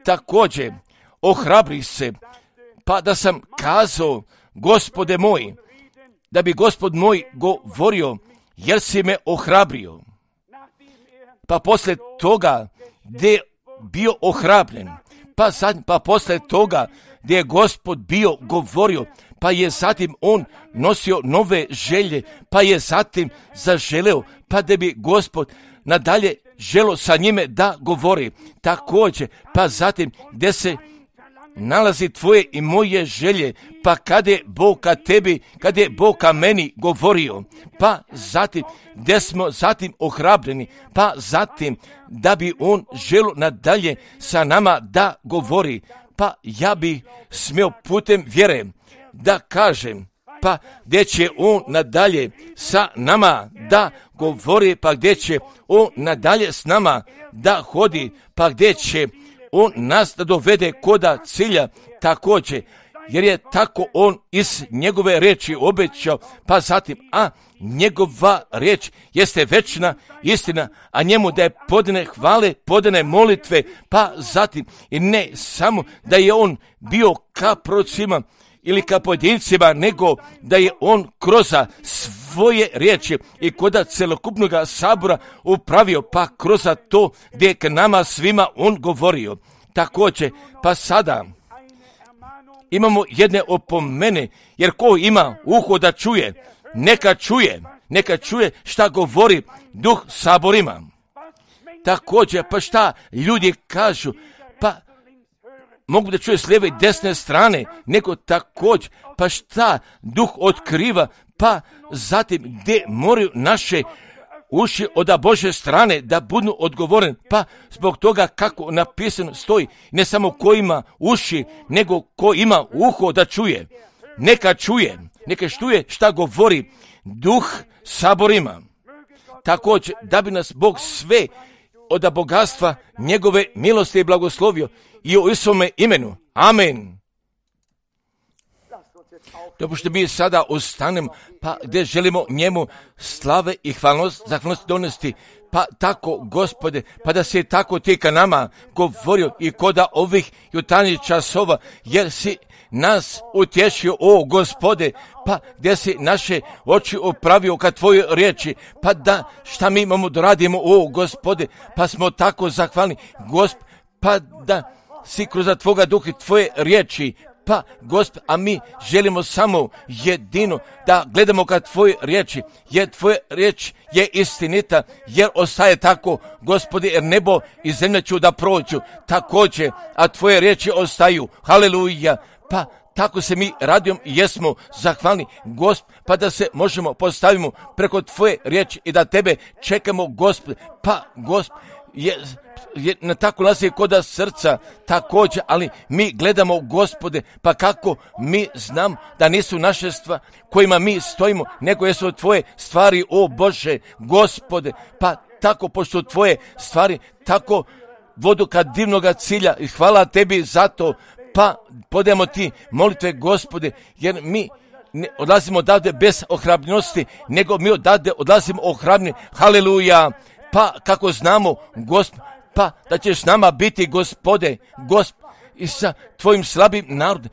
Također, ohrabri se, pa da sam kazao, Gospode moj, da bi Gospod moj govorio, jer si me ohrabrio. Pa poslije toga gdje je bio ohrabren, pa poslije toga gdje je Gospod bio govorio, pa je zatim on nosio nove želje, pa je zatim zaželeo, pa da bi Gospod nadalje želo sa njime da govori. Također, pa zatim gdje se nalazi tvoje i moje želje, pa kada je Bog ka tebi, kada je Bog ka meni govorio, pa zatim gdje smo zatim ohrabreni, pa zatim da bi on želo nadalje sa nama da govori, pa ja bi smio putem vjere da kažem, pa gdje će on nadalje sa nama da govori, pa gdje će on nadalje s nama da hodi, pa gdje će on nas da dovede koda cilja također, jer je tako on iz njegove riječi obećao, pa zatim, a njegova riječ jeste večna istina, a njemu da je podane hvale, podane molitve, pa zatim i ne samo da je on bio ka prorocima ili ka pojedincima, nego da je on kroz svoje riječi i koda celokupnog sabora upravio, pa kroz to gdje je k nama svima on govorio. Također, pa sada imamo jedne opomene, jer ko ima uho da čuje, neka čuje šta govori Duh saborima. Također, pa šta ljudi kažu, pa mogu da čuje s lijeve i desne strane, nego također, pa šta Duh otkriva, pa zatim gdje moraju naše uši od Bože strane da budu odgovoren, pa zbog toga kako napisano stoji, ne samo ko ima uši, nego ko ima uho da čuje. Neka čuje šta govori Duh saborima. Također, da bi nas Bog sve od bogatstva njegove milosti i blagoslovio i u svome imenu. Amen. Dopušte mi sada ostanemo, pa gdje želimo njemu slave i zahvalnost donesti, pa tako, Gospode, pa da si tako ti ka nama govorio i koda ovih jutarnjih časova, jer si nas utješio, o Gospode, pa gdje si naše oči opravio ka tvojoj riječi, pa da šta mi imamo da radimo, o Gospode, pa smo tako zahvalni, pa da si kroz tvoga duha i tvoje riječi, pa Gospod, a mi želimo samo jedino da gledamo ka tvoje riječi, jer tvoje riječ je istinita, jer ostaje tako, Gospode, jer nebo i zemlja ću da prođu, također, a tvoje riječi ostaju, haleluja, pa tako se mi radijom jesmo zahvalni, Gospod, pa da se možemo postavimo preko tvoje riječi i da tebe čekamo, Gospod, pa Gospod, je na tako nalazi koda srca također, ali mi gledamo, Gospode, pa kako mi znam da nisu naše stvari kojima mi stojimo, nego jesu tvoje stvari, o Bože, Gospode, pa tako pošto tvoje stvari tako vodu ka divnoga cilja i hvala tebi za to, pa podajemo ti molitve, Gospode, jer mi ne odlazimo odavde bez ohrabljenosti, nego mi odlazimo ohrabljeni, haleluja, pa kako znamo, Gospod, pa da ćeš s nama biti, Gospode, i sa tvojim slabim narodom,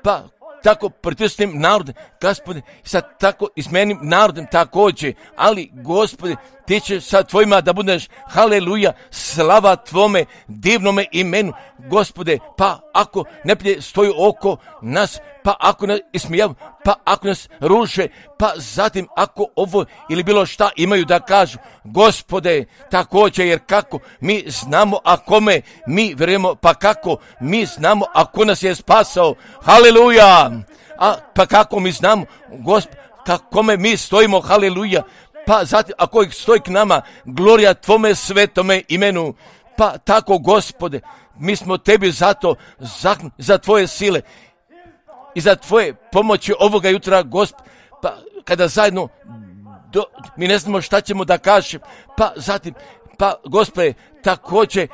pa tako pritisnim narodom, Gospode, sa tako izmenim narodom također, ali, Gospode, ti ćeš sa tvojima da budeš, haleluja, slava tvome divnome imenu, Gospode, pa ako neprijatelj stoji oko nas, pa ako nas ismijav, pa ako nas ruše, pa zatim ako ovo ili bilo šta imaju da kažu, Gospode, također, jer kako mi znamo, a kome mi vjerujemo, pa kako mi znamo, ako nas je spasao, haleluja, pa kako mi znamo, Gospode, kome mi stojimo, haleluja, pa zatim ako ih stoji k nama, glorija tvome svetome imenu, pa tako, Gospode, mi smo tebi zato za tvoje sile i za tvoje pomoći ovoga jutra, Gospod, pa kada zajedno mi ne znamo šta ćemo da kažem, pa zatim, pa Gospode, također,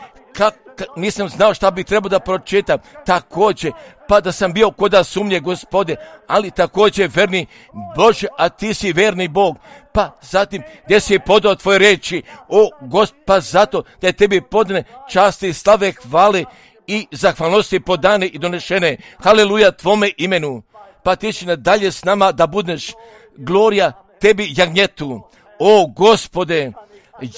nisam znao šta bi trebao da pročitam, također, pa da sam bio koda sumnje, Gospode, ali također verni Bože, a ti si verni Bog, pa zatim gdje si podao tvoje reči, o Gospod, pa zato da je tebi podane časti, slave, hvale i zahvalnosti podane i donešene, haleluja tvome imenu, pa ti će nadalje s nama da budeš, glorija tebi jagnjetu, o Gospode,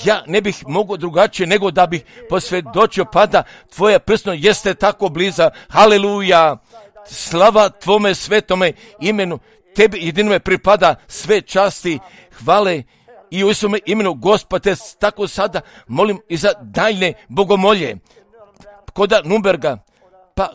ja ne bih mogao drugačije nego da bih posvjedočio, pa da tvoje prсно jeste tako bliza, haleluja, slava tvome svetome imenu, tebi jedinome pripada sve časti, hvale i u svome imenu, Gospode, tako sada molim i za daljne bogomolje, koda Nürnberga, pa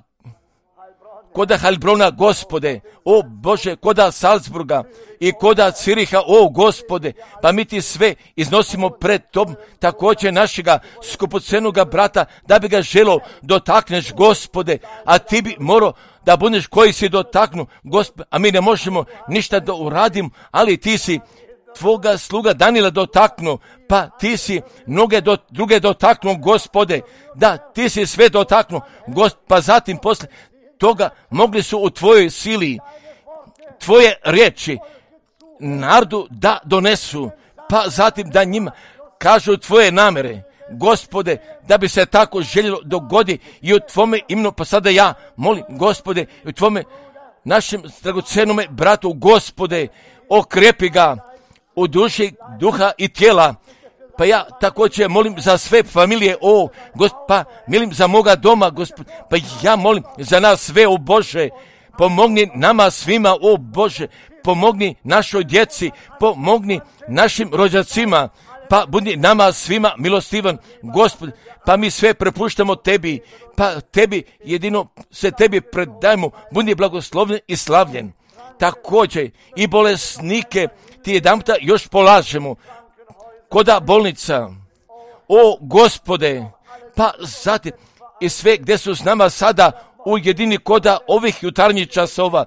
koda Heilbrona, Gospode, o Bože, koda Salzburga i koda Ciriha, o Gospode, pa mi ti sve iznosimo pred Tobom, također našega skupocenoga brata, da bi ga želo dotakneš, Gospode, a ti bi morao da budeš koji si dotaknu, Gospode, a mi ne možemo ništa da uradimo, ali ti si tvoga sluga Danila dotaknu, pa ti si mnoge druge dotaknu, Gospode, da ti si sve dotaknu, Gospode, pa zatim posle toga mogli su u tvojoj sili tvoje riječi narodu da donesu, pa zatim da njima kažu tvoje namere, Gospode, da bi se tako željelo dogodi i u tvome imenu, pa sada ja molim, Gospode, i u tvome našem dragocenome bratu, Gospode, okrepi ga u duši, duha i tijela, pa ja također molim za sve familije, o Gospod, pa molim za moga doma, Gospod, pa ja molim za nas sve, o Bože, pomogni nama svima, o Bože, pomogni našoj djeci, pomogni našim rođacima, pa budi nama svima milostivan, Gospod, pa mi sve prepuštamo tebi, pa tebi jedino se tebi predajemo, budi blagoslovljen i slavljen. Također i bolesnike ti jedanputa još polažemo, koda bolnica, o Gospode, pa zatim i sve gdje su s nama sada u jedini koda ovih jutarnjih časova,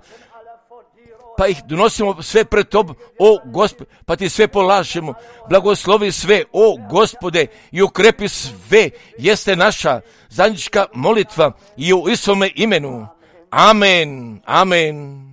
pa ih donosimo sve pred Tobom, o Gospode, pa ti sve polažemo, blagoslovi sve, o Gospode, i ukrepi sve, jeste naša zajednička molitva i u Isovome imenu. Amen, amen.